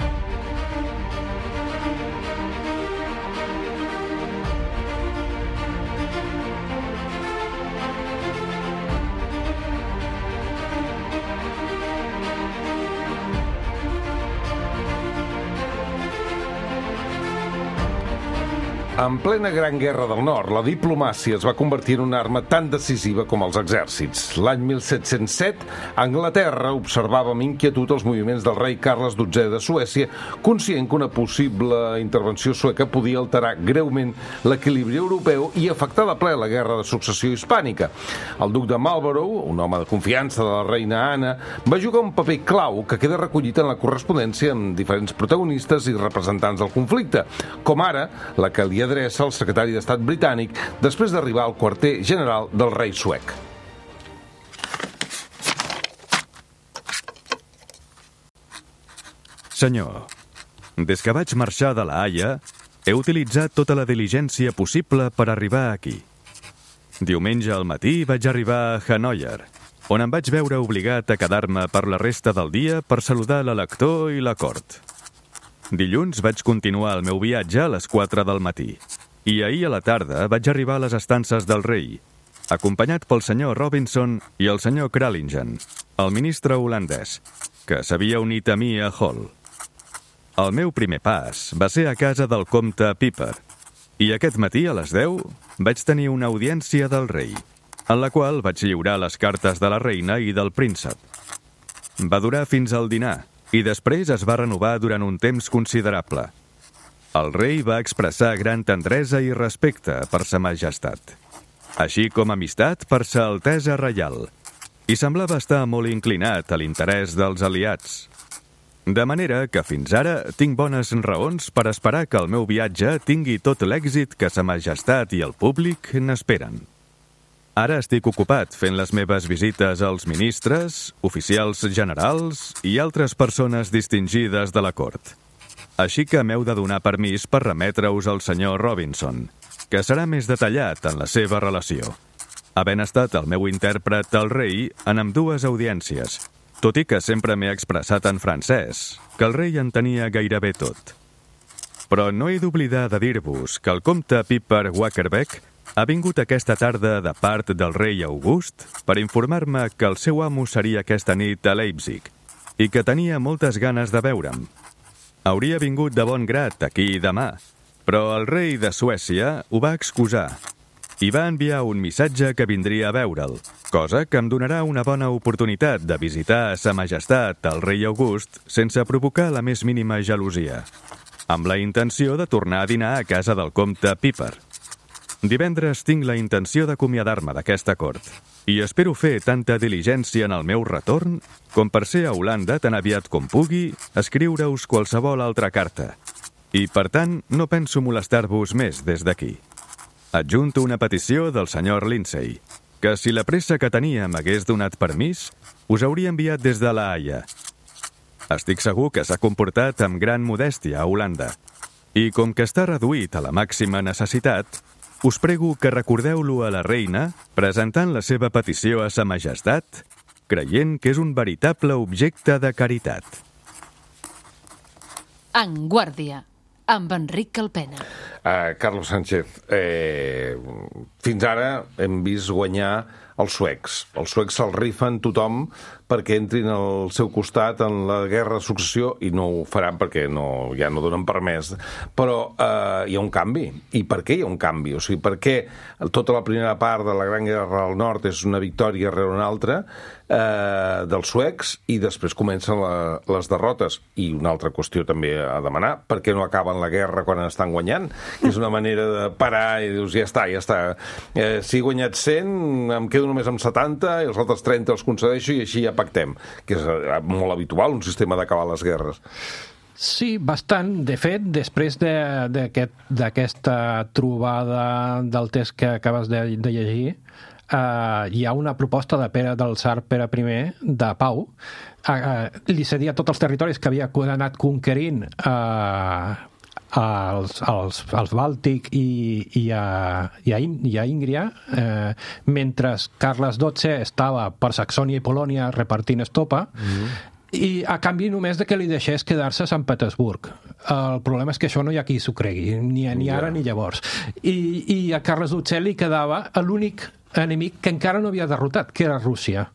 En plena Gran Guerra del Nord, la diplomàcia es va convertir en una arma tan decisiva com els exèrcits. L'any mil set-cents set, Anglaterra observava amb inquietud els moviments del rei Carles dotzè de Suècia, conscient que una possible intervenció sueca podia alterar greument l'equilibri europeu i afectar de ple la guerra de successió hispànica. El duc de Marlborough, un home de confiança de la reina Anna, va jugar un paper clau que queda recollit en la correspondència amb diferents protagonistes i representants del conflicte, com ara la que li adreça el secretari d'Estat britànic després d'arribar al quarter general del rei suec. Senyor, des que vaig marxar de la Haia, he utilitzat tota la diligència possible per arribar aquí. Diumenge al matí vaig arribar a Hannover, on em vaig veure obligat a quedar-me per la resta del dia per saludar l'elector i la cort. Dilluns vaig continuar el meu viatge a les quatre del matí i ahir a la tarda vaig arribar a les estances del rei, acompanyat pel senyor Robinson i el senyor Kralingen, el ministre holandès, que s'havia unit a mi a Hull. El meu primer pas va ser a casa del comte Piper i aquest matí a les deu vaig tenir una audiència del rei, en la qual vaig lliurar les cartes de la reina i del príncep. Va durar fins al dinar i després es va renovar durant un temps considerable. El rei va expressar gran tendresa i respecte per sa majestat, així com amistat per sa altesa reial, i semblava estar molt inclinat a l'interès dels aliats. De manera que fins ara tinc bones raons per esperar que el meu viatge tingui tot l'èxit que sa majestat i el públic n'esperen. Ara estic ocupat fent les meves visites als ministres, oficials generals i altres persones distingides de la cort. Així que m'heu de donar permís per remetre-us al senyor Robinson, que serà més detallat en la seva relació, havent estat el meu intèrpret al rei en ambdues audiències, tot i que sempre m'he expressat en francès, que el rei entenia gairebé tot. Però no he d'oblidar de dir-vos que el comte Piper Wackerbeck ha vingut aquesta tarda de part del rei August per informar-me que el seu amo seria aquesta nit a Leipzig i que tenia moltes ganes de veure'm. Hauria vingut de bon grat aquí demà, però el rei de Suècia ho va excusar i va enviar un missatge que vindria a veure'l, cosa que em donarà una bona oportunitat de visitar a Sa Majestat el rei August sense provocar la més mínima gelosia, amb la intenció de tornar a dinar a casa del comte Piper. Divendres tinc la intenció d'acomiadar-me d'aquesta cort i espero fer tanta diligència en el meu retorn com per ser a Holanda tan aviat com pugui escriure-us qualsevol altra carta. I, per tant, no penso molestar-vos més des d'aquí. Adjunto una petició del senyor Lindsay, que si la pressa que tenia m'hagués donat permís, us hauria enviat des de la Haia. Estic segur que s'ha comportat amb gran modèstia a Holanda. I com que està reduït a la màxima necessitat, us prego que recordeu-lo a la reina presentant la seva petició a Sa Majestat, creient que és un veritable objecte de caritat. En Guàrdia, amb Enric Calpena. Uh, Carlos Sánchez, eh, fins ara hem vist guanyar els suecs. Els suecs se'ls rifen tothom perquè entrin al seu costat en la guerra de successió i no ho faran perquè no, ja no donen permès. Però eh, hi ha un canvi. I per què hi ha un canvi? O sigui, per què tota la primera part de la Gran Guerra del Nord és una victòria rere una altra eh, dels suecs i després comencen la, les derrotes? I una altra qüestió també a demanar, per què no acaben la guerra quan estan guanyant? És una manera de parar i dius, ja està, ja està. Eh, si he guanyat cent, em quedo només amb setanta i els altres trenta els concedeixo i així ja pactem, que és molt habitual, un sistema d'acabar les guerres. Sí, bastant. De fet, després d'aquesta aquest, trobada del text que acabes de, de llegir, uh, hi ha una proposta de Pere, del tsar Pere I de pau. Uh, uh, li cedia tots els territoris que havia anat conquerint uh, als, als, als Bàltic i, i, a, i, a, i a Íngria, eh, mentre Carles dotze estava per Saxònia i Polònia repartint estopa, mm-hmm. i a canvi només de que li deixés quedar-se a Sant Petersburg. El problema és que això no hi ha qui s'ho cregui, ni, ni ara yeah. ni llavors. I, I a Carles dotze li quedava l'únic enemic que encara no havia derrotat, que era Rússia.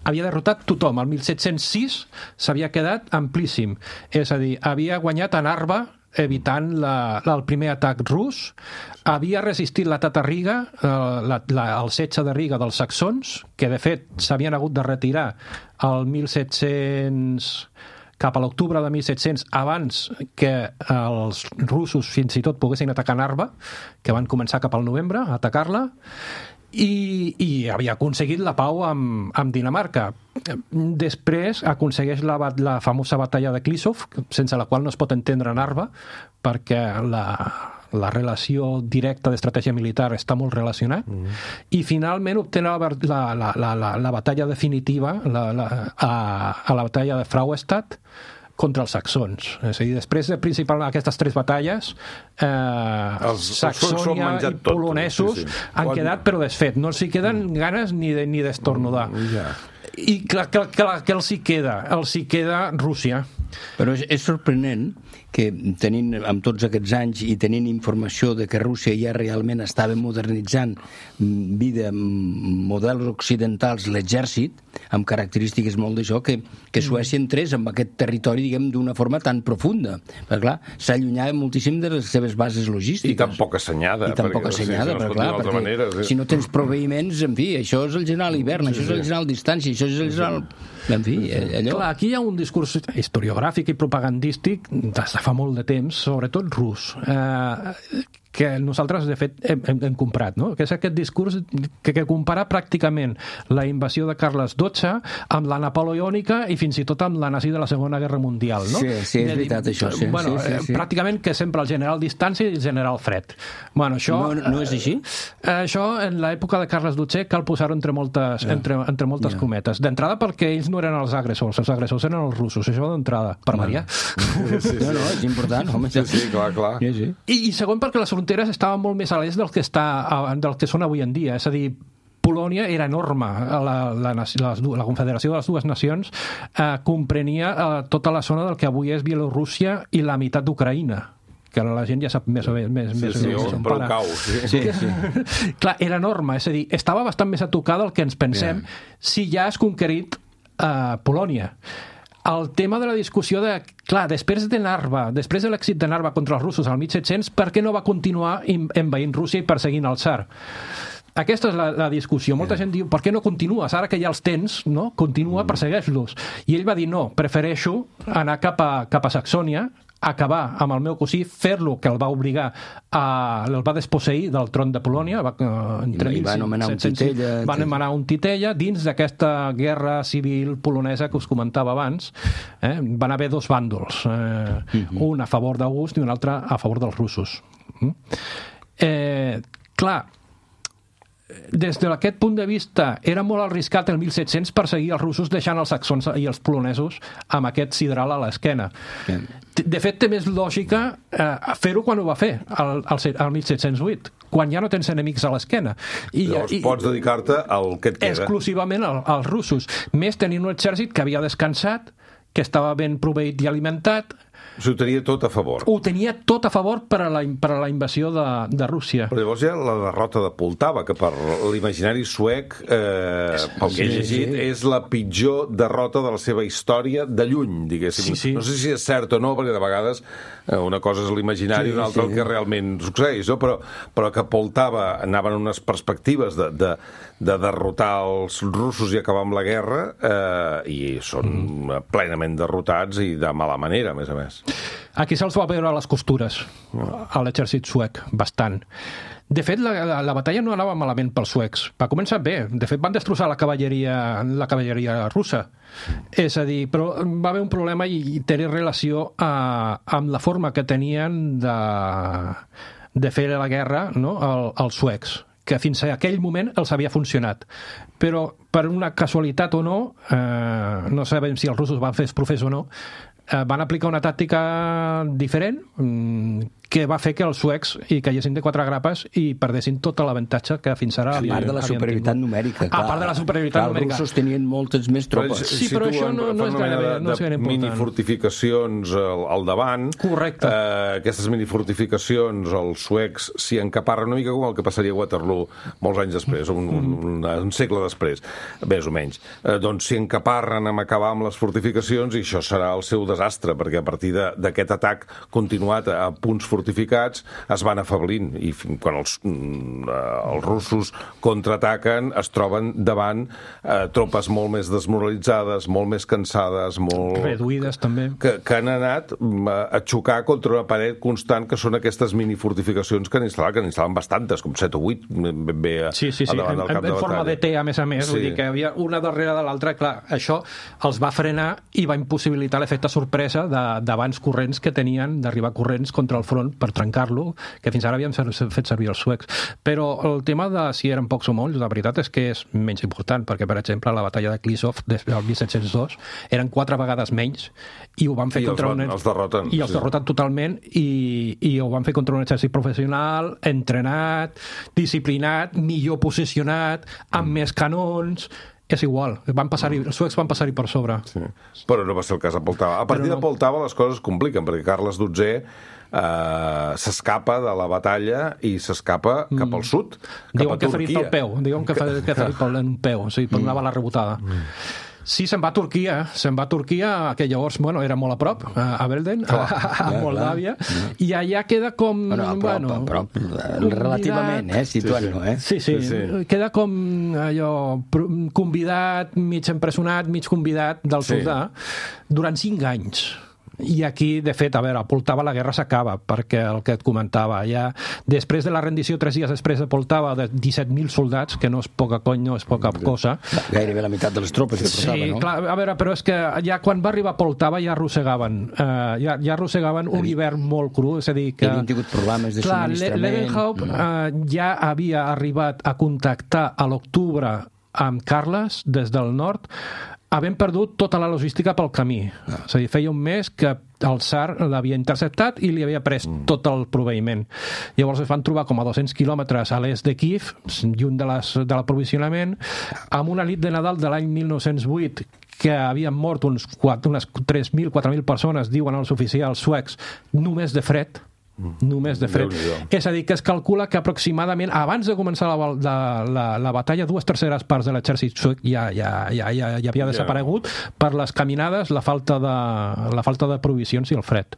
Havia derrotat tothom. El mil set-cents sis s'havia quedat amplíssim. És a dir, havia guanyat a Narva evitant la, la, el primer atac rus, havia resistit l'atac a Riga, eh, la, la, el setge de Riga dels saxons, que de fet s'havien hagut de retirar el mil set-cents cap a l'octubre de mil set-cents abans que els russos fins i tot poguessin atacar Narva, que van començar cap al novembre a atacar-la, i, i havia aconseguit la pau amb, amb Dinamarca. Després aconsegueix la, la famosa batalla de Klisov, sense la qual no es pot entendre Narva, perquè la, la relació directa d'estratègia militar està molt relacionat, mm. i finalment obté la, la, la, la, la batalla definitiva la, la, a, a la batalla de Frauenstadt contra els saxons. És a dir, després de principalment aquestes tres batalles, eh, els, Saxònia els i polonesos tot, sí, sí. han Quan... quedat però desfet. No els hi queden mm. ganes ni de, ni d'estornudar. Mm, yeah. I clar, clar, clar, que els hi queda? Els hi queda Rússia. Però és, és sorprenent que tenint, amb tots aquests anys i tenint informació de que Rússia ja realment estava modernitzant vida, models occidentals, l'exèrcit, amb característiques molt d'això, que, que Suècia entrés en aquest territori, diguem, d'una forma tan profunda. Perquè, clar, s'allunyava moltíssim de les seves bases logístiques. I tan poc assenyada. I tan poc assenyada, si no perquè, clar, perquè manera, sí. si no tens proveïments, en fi, això és el general hivern, sí, això és el general distància, això és el general... En fi, allò... Clar, aquí hi ha un discurs historiogràfic i propagandístic des de fa molt de temps, sobretot rus, eh, que nosaltres, de fet, hem, hem, hem comprat, no? Que és aquest discurs que, que compara pràcticament la invasió de Carles dotze amb la napoleònica i fins i tot amb la nazi de la Segona Guerra Mundial, no? Sí, sí, és veritat, això, sí. Bueno, sí, sí, sí. Pràcticament que sempre el general distància i el general fred. Bueno, això... No, no és així? Eh, això, en l'època de Carles dotze, cal posar-ho entre moltes, yeah. entre, entre moltes yeah. cometes. D'entrada, perquè ells no eren els agressors, els agressors eren els russos, això d'entrada, per variar. Sí, sí, sí. No, no, és important, home. Sí, sí, clar, clar. Sí, sí. I, I segon, perquè les fronteres estaven molt més a l'est del que, està, del que són avui en dia. És a dir, Polònia era enorme. La, la, la, la Confederació de les Dues Nacions eh, comprenia eh, tota la zona del que avui és Bielorússia i la meitat d'Ucraïna. que la gent ja sap més o menys més, sí, més sí, o menys on prou cau, sí. Sí, sí. Clar, era enorme, és a dir, estava bastant més a tocar del que ens pensem yeah. si ja has conquerit uh, Polònia. El tema de la discussió de, clar, després de Narva, després de l'èxit de Narva contra els russos al mil set-cents, per què no va continuar envaint Rússia i perseguint el tsar? Aquesta és la, la discussió. Molta gent diu, per què no continues? Ara que ja els tens, no? Continua, persegueix-los. I ell va dir, no, prefereixo anar cap a, cap a Saxònia, acabar amb el meu cosí, fer-lo, que el va obligar a... el va desposseir del tron de Polònia, va, entre I va anomenar un titella. Va anomenar un titella dins d'aquesta guerra civil polonesa que us comentava abans. Eh? Van haver dos bàndols, eh? uh-huh. un a favor d'August i un altre a favor dels russos. Mm? Eh, clar, des d'aquest punt de vista era molt arriscat el mil set-cents perseguir els russos deixant els saxons i els polonesos amb aquest sidral a l'esquena. De fet, té més lògica eh, fer-ho quan ho va fer, el, el, el mil set-cents vuit, quan ja no tens enemics a l'esquena. I, Llavors i, pots dedicar-te al que et queda. Exclusivament al, als russos. Més tenint un exèrcit que havia descansat, que estava ben proveït i alimentat. S'ho tenia tot a favor. Ho tenia tot a favor per a la, per a la invasió de, de Rússia. Però llavors hi ha la derrota de Poltava, que per l'imaginari suec, eh, pel que he llegit, sí. és la pitjor derrota de la seva història de lluny, diguéssim. Sí, sí. No sé si és cert o no, perquè de vegades eh, una cosa és l'imaginari i sí, una altra sí. el que realment succeeix, no? però, però que Poltava anaven unes perspectives de, de, de derrotar els russos i acabar amb la guerra, eh, i són mm. plenament derrotats i de mala manera, a més a més. Aquí se'ls va veure a les costures a l'exèrcit suec, bastant. De fet, la, la, la batalla no anava malament pels suecs. Va començar bé. De fet, van destrossar la cavalleria, la cavalleria russa. És a dir, però va haver un problema i, i té relació a, amb la forma que tenien de, de fer la guerra, no? El, els suecs, que fins a aquell moment els havia funcionat. Però per una casualitat o no, eh, no sabem si els russos van fer profes o no, eh, van aplicar una tàctica diferent, que va fer que els suecs hi caiguessin de quatre grapes i perdessin tot l'avantatge que fins ara havien tingut. A part de la superioritat numèrica. A part de la superioritat numèrica. Els russos tenien moltes més tropes. Però, sí, però això no, no és gaire, no és gaire important. Minifortificacions al, al davant. Correcte. Eh, aquestes minifortificacions, els suecs s'hi encaparren una mica com el que passaria a Waterloo molts anys després, un, un, un, un segle després, més o menys. Eh, doncs s'hi encaparren amb acabar amb les fortificacions i això serà el seu desastre, perquè a partir d'aquest atac continuat a punts fortificats fortificats es van afablint i quan els, els russos contraataquen es troben davant eh, tropes molt més desmoralitzades, molt més cansades, molt... reduïdes també. Que, que han anat a xocar contra una paret constant que són aquestes minifortificacions que han instal·lat, que n'instal·len bastantes, com set o vuit ben bé a, sí, sí, sí. a davant del en, camp en, de en forma de T, a més a més, sí. Vull dir que hi havia una darrere de l'altra, clar, això els va frenar i va impossibilitar l'efecte sorpresa d'abans corrents que tenien d'arribar corrents contra el front per trencar-lo, que fins ara havíem fet servir els suecs. Però el tema de si eren pocs o molts, la veritat és que és menys important, perquè, per exemple, la batalla de Klisov del mil set-cents dos eren quatre vegades menys i ho van fer I contra els, van, un... els derroten. I els sí. derroten totalment i, i ho van fer contra un exèrcit professional, entrenat, disciplinat, millor posicionat, amb mm. més canons... És igual, van passar-hi, els suecs van passar-hi per sobre. Sí. Però no va ser el cas de Poltava. A partir no. de Poltava les coses es compliquen, perquè Carles dotzè eh, s'escapa de la batalla i s'escapa mm. cap al sud, cap diuen a que Turquia. Ferit pel peu, diuen que, que, que ferit pel un peu, o sigui, per una bala rebotada. Mm. Sí, se'n va a Turquia, se'n va a Turquia, que llavors, bueno, era molt a prop, a Belden, a, a Moldàvia, i allà queda com... Bueno, a prop, bueno, a prop, relativament, eh, situant-lo, eh? Sí sí, sí, sí, sí, queda com allò, convidat, mig empresonat, mig convidat del sí. soldà, durant cinc anys. I aquí, de fet, a veure, a Poltava la guerra s'acaba, perquè el que et comentava, ja després de la rendició, tres dies després de Poltava, de disset mil soldats, que no és poca cony, no és poca cosa. Gairebé la meitat de les tropes que portava, sí, no? Clar, a veure, però és que ja quan va arribar a Poltava ja arrossegaven, uh, ja, ja arrossegaven un hivern molt cru, és a dir que... Hi havien tingut problemes de clar, subministrament... Levenhaupt uh, ja havia arribat a contactar a l'octubre amb Carles des del nord, havent perdut tota la logística pel camí. Ah. És a dir, feia un mes que el tsar l'havia interceptat i li havia pres mm. tot el proveïment. Llavors es van trobar com a dos-cents quilòmetres a l'est de Kíev, lluny de, les, de l'aprovisionament, amb una nit de Nadal de l'any mil nou-cents vuit que havien mort uns quatre, unes tres mil, quatre mil persones, diuen els oficials suecs, només de fred, només de fred. És a dir, que es calcula que aproximadament, abans de començar la, la, la, la batalla, dues terceres parts de l'exèrcit suec ja, ja, ja, ja, ja havia desaparegut per les caminades, la falta, de, la falta de provisions i el fred.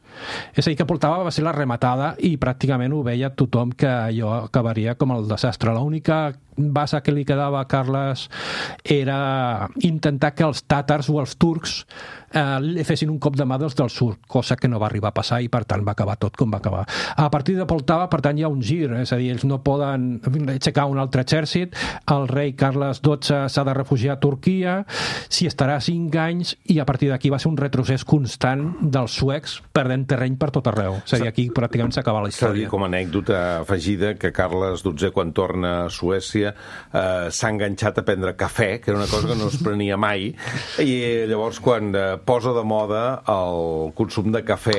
És a dir, que Poltava va ser la rematada i pràcticament ho veia tothom que allò acabaria com el desastre. L'única base que li quedava a Carles era intentar que els tàtars o els turcs eh, li fessin un cop de mà dels del sud, cosa que no va arribar a passar i per tant va acabar tot com va acabar. A partir de Poltava, per tant, hi ha un gir, és a dir, ells no poden aixecar un altre exèrcit, el rei Carles dotze s'ha de refugiar a Turquia, s'hi estarà cinc anys i a partir d'aquí va ser un retrocés constant dels suecs perdent terreny per tot arreu. És a dir, aquí pràcticament s'acaba la història. S'ha de dir com a anècdota afegida que Carles dotzè, quan torna a Suècia, eh, s'ha enganxat a prendre cafè, que era una cosa que no es prenia mai, i llavors quan eh, posa de moda el consum de cafè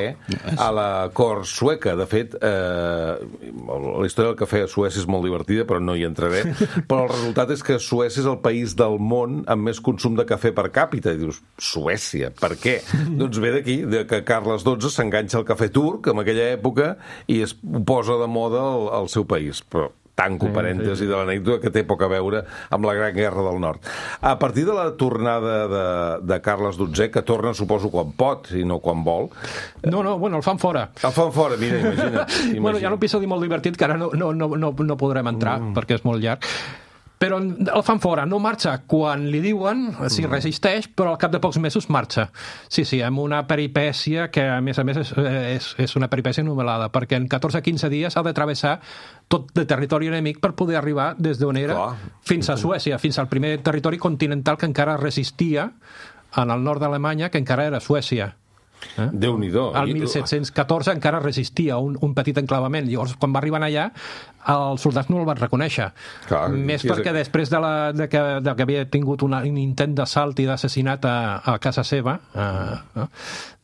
a la cort sueca. De fet, eh, la història del cafè a Suècia és molt divertida, però no hi entraré, però el resultat és que Suècia és el país del món amb més consum de cafè per càpita. I dius, Suècia, per què? Doncs ve d'aquí, de que Carles dotze s'enganxa al cafè turc en aquella època i es posa de moda al, al seu país. Però tanco parèntesi sí, sí. de l'anècdota que té poc a veure amb la Gran Guerra del Nord. A partir de la tornada de, de Carles dotzè, que torna, suposo, quan pot i no quan vol... No, no, bueno, el fan fora. El fan fora, mira, imagina't. imagina't. Bueno, hi ha un episodi molt divertit que ara no, no, no, no, no podrem entrar, mm. perquè és molt llarg, però el fan fora, no marxa quan li diuen, si resisteix, però al cap de pocs mesos marxa. Sí, sí, amb una peripècia que, a més a més, és, és, és una peripècia novel·lada, perquè en catorze a quinze dies ha de travessar tot de territori enemic per poder arribar des d'on era Clar. fins a Suècia, fins al primer territori continental que encara resistia en el nord d'Alemanya, que encara era Suècia. Eh? Déu-n'hi-do. Al mil set-cents catorze encara resistia un, un petit enclavament. Llavors, quan va arribar allà, els soldats no el van reconèixer. Clar, Més perquè és... després de, la, de, que, de que havia tingut una, un intent d'assalt i d'assassinat a, a casa seva, eh, eh,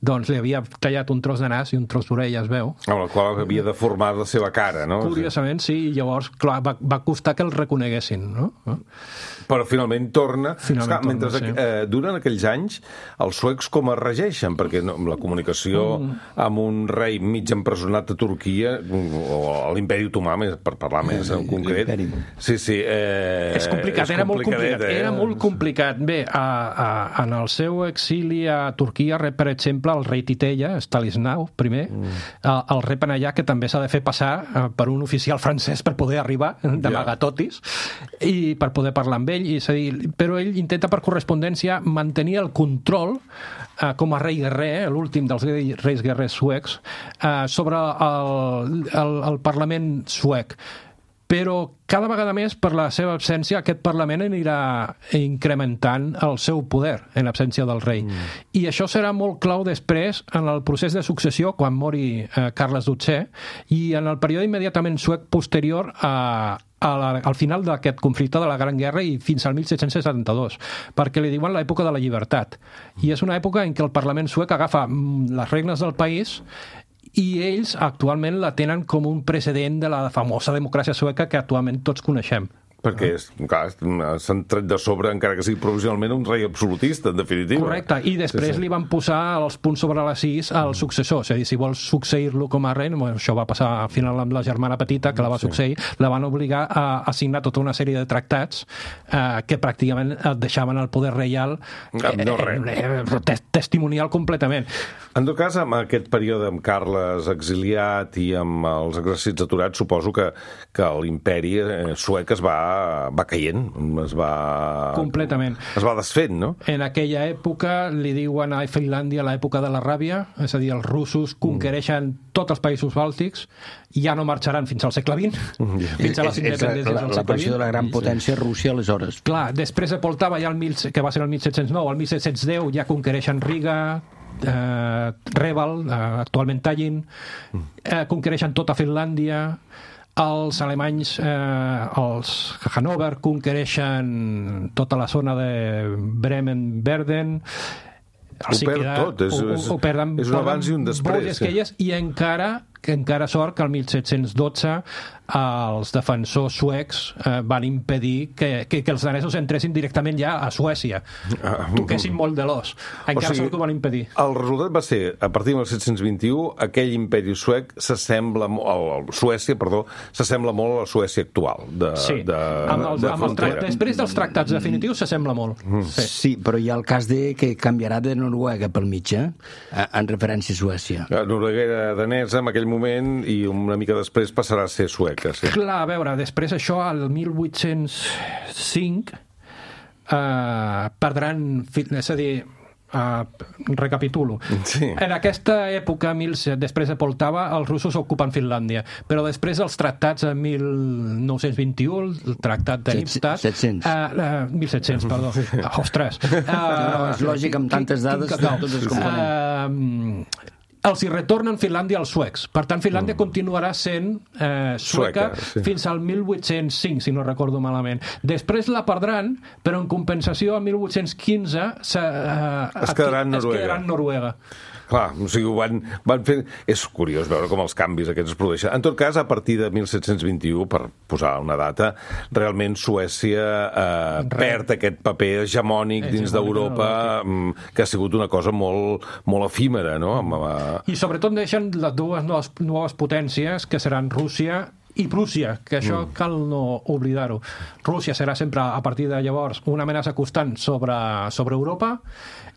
doncs li havia tallat un tros de nas i un tros d'orella, es veu. Amb el qual havia deformat la seva cara, no? Curiosament, sí, i llavors, clar, va, va costar que el reconeguessin, no? Però finalment torna. Finalment Esclar, torna, mentre sí. eh, duren aquells anys, els suecs com es regeixen? Perquè no, la comunicació mm. amb un rei mig empresonat a Turquia, o a l'imperi otomà, per parlar més en concret. Sí, sí. Eh, és complicat, és era molt complicat. Eh? Era molt complicat. Bé, a, a, en el seu exili a Turquia rep, per exemple, el rei Titella, Stanislaw primer, mm. el repen allà, que també s'ha de fer passar per un oficial francès per poder arribar, d'amagatotis, yeah. i per poder parlar amb ell. I, és a dir, però ell intenta per correspondència mantenir el control eh, com a rei guerrer, l'últim dels reis guerrers suecs, eh, sobre el, el, el Parlament suec. Però cada vegada més, per la seva absència, aquest Parlament anirà incrementant el seu poder en absència del rei. Mm. I això serà molt clau després en el procés de successió, quan mori eh, Carles dotzè, i en el període immediatament suec posterior a, a la, al final d'aquest conflicte de la Gran Guerra i fins al mil set-cents setanta-dos, perquè li diuen l'època de la llibertat. I és una època en què el Parlament suec agafa les regnes del país i ells actualment la tenen com un precedent de la famosa democràcia sueca que actualment tots coneixem. Perquè, clar, s'han tret de sobre, encara que sigui provisionalment, un rei absolutista, en definitiva. Correcte, i després sí, sí. li van posar els punts sobre les sis al successor. És a dir, si vols succeir-lo com a rei, això va passar al final amb la germana petita, que la va succeir, sí. la van obligar a, a signar tota una sèrie de tractats eh, que pràcticament et deixaven el poder reial eh, no, eh, eh, testimonial completament. En tot cas, amb aquest període amb Carles exiliat i amb els exèrcits aturats, suposo que, que l'imperi suec es va va caient, es va... Completament. Es va desfent, no? En aquella època li diuen a Finlàndia l'època de la ràbia, és a dir, els russos conquereixen mm. tots els països bàltics i ja no marxaran fins al segle vint, mm. fins a les independències del segle vint. L'aparició de la gran potència Rússia, aleshores. Clar, després de Poltava, ja el mil, que va ser el mil set-cents nou, el mil set-cents deu ja conquereixen Riga, eh, Reval, eh, actualment Tallinn, eh, conquereixen tota Finlàndia. Els alemanys, eh, els Hannover, conquereixen tota la zona de Bremen-Verden. Ho perd tot, és, ho, ho, ho perden, és un abans i un després. Sí. I encara que encara sort que el mil set-cents dotze els defensors suecs eh, van impedir que, que, que els danesos entressin directament ja a Suècia. Toquessin molt de l'os. Encara o sigui, sort que ho van impedir. El resultat va ser, a partir del mil set-cents vint-i-u, aquell imperi suec s'assembla, el, Suècia, perdó, s'assembla molt a la Suècia actual. De, sí, de, amb els, de amb els tra- després dels tractats definitius s'assembla molt. Mm. Sí. sí, però hi ha el cas de que canviarà de Noruega pel mig, eh? En referència a Suècia. La Noruega era danesa en aquell moment i una mica després passarà a ser sueca. Sí. Clar, a veure, després això, al mil vuit-cents cinc, eh, perdran... És a dir, Uh, recapitulo. Sí. En aquesta època, mil, després de Poltava, els russos ocupen Finlàndia, però després dels tractats de mil nou-cents vint-i-u, el tractat de Nipstadt... set-cents. Uh, uh, mil set-cents, perdó. Uh, ostres. Uh, no, és lògic, amb tantes dades, tots es componen. Uh, els hi retornen Finlàndia als suecs. Per tant, Finlàndia mm. continuarà sent eh, sueca, sueca sí. fins al mil vuit-cents cinc, si no recordo malament. Després la perdran, però en compensació al mil vuit-cents quinze se, eh, es quedarà en Noruega. Es quedarà en Noruega. Clar, o sigui, ho van, van fer... És curiós veure com els canvis aquests es produeixen. En tot cas, a partir de mil set-cents vint-i-u, per posar una data, realment Suècia eh, perd aquest paper hegemònic dins hegemònic d'Europa, no, que ha sigut una cosa molt, molt efímera, no? I sobretot deixen les dues noves, noves potències, que seran Rússia i Prússia, que això mm. cal no oblidar-ho. Rússia serà sempre, a partir de llavors, una amenaça constant sobre, sobre Europa,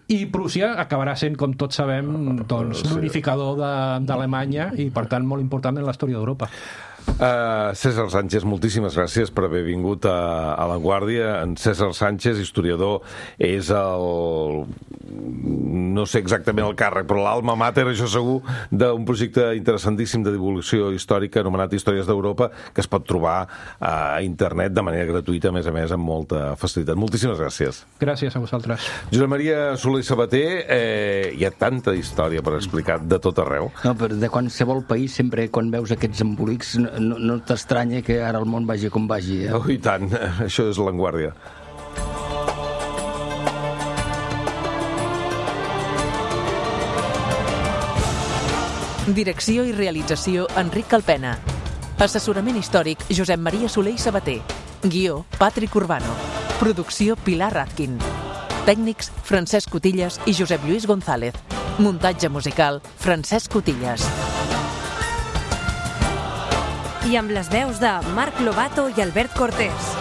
i Prússia acabarà sent, com tots sabem, doncs, l'unificador d'Alemanya i, per tant, molt important en la història d'Europa. Uh, César Sánchez, moltíssimes gràcies per haver vingut a, a La Guàrdia. En César Sánchez, historiador, és el... no sé exactament el càrrec, però l'alma mater, això segur, d'un projecte interessantíssim de divulgació històrica anomenat Històries d'Europa, que es pot trobar a internet de manera gratuïta, a més a més, amb molta facilitat. Moltíssimes gràcies. Gràcies a vosaltres. Josep Maria Soler i Sabater, eh, hi ha tanta història per explicar de tot arreu. No, però de qualsevol país, sempre quan veus aquests embolics, no, no t'estranya que ara el món vagi com vagi. Eh? Oh, i tant. Això és La Guàrdia. Direcció i realització, Enric Calpena. Assessorament històric, Josep Maria Soler i Sabater. Guió, Patrick Urbano. Producció, Pilar Ratkin. Tècnics, Francesc Cotillas i Josep Lluís González. Muntatge musical, Francesc Cotillas. I amb les veus de Marc Lobato i Albert Cortés.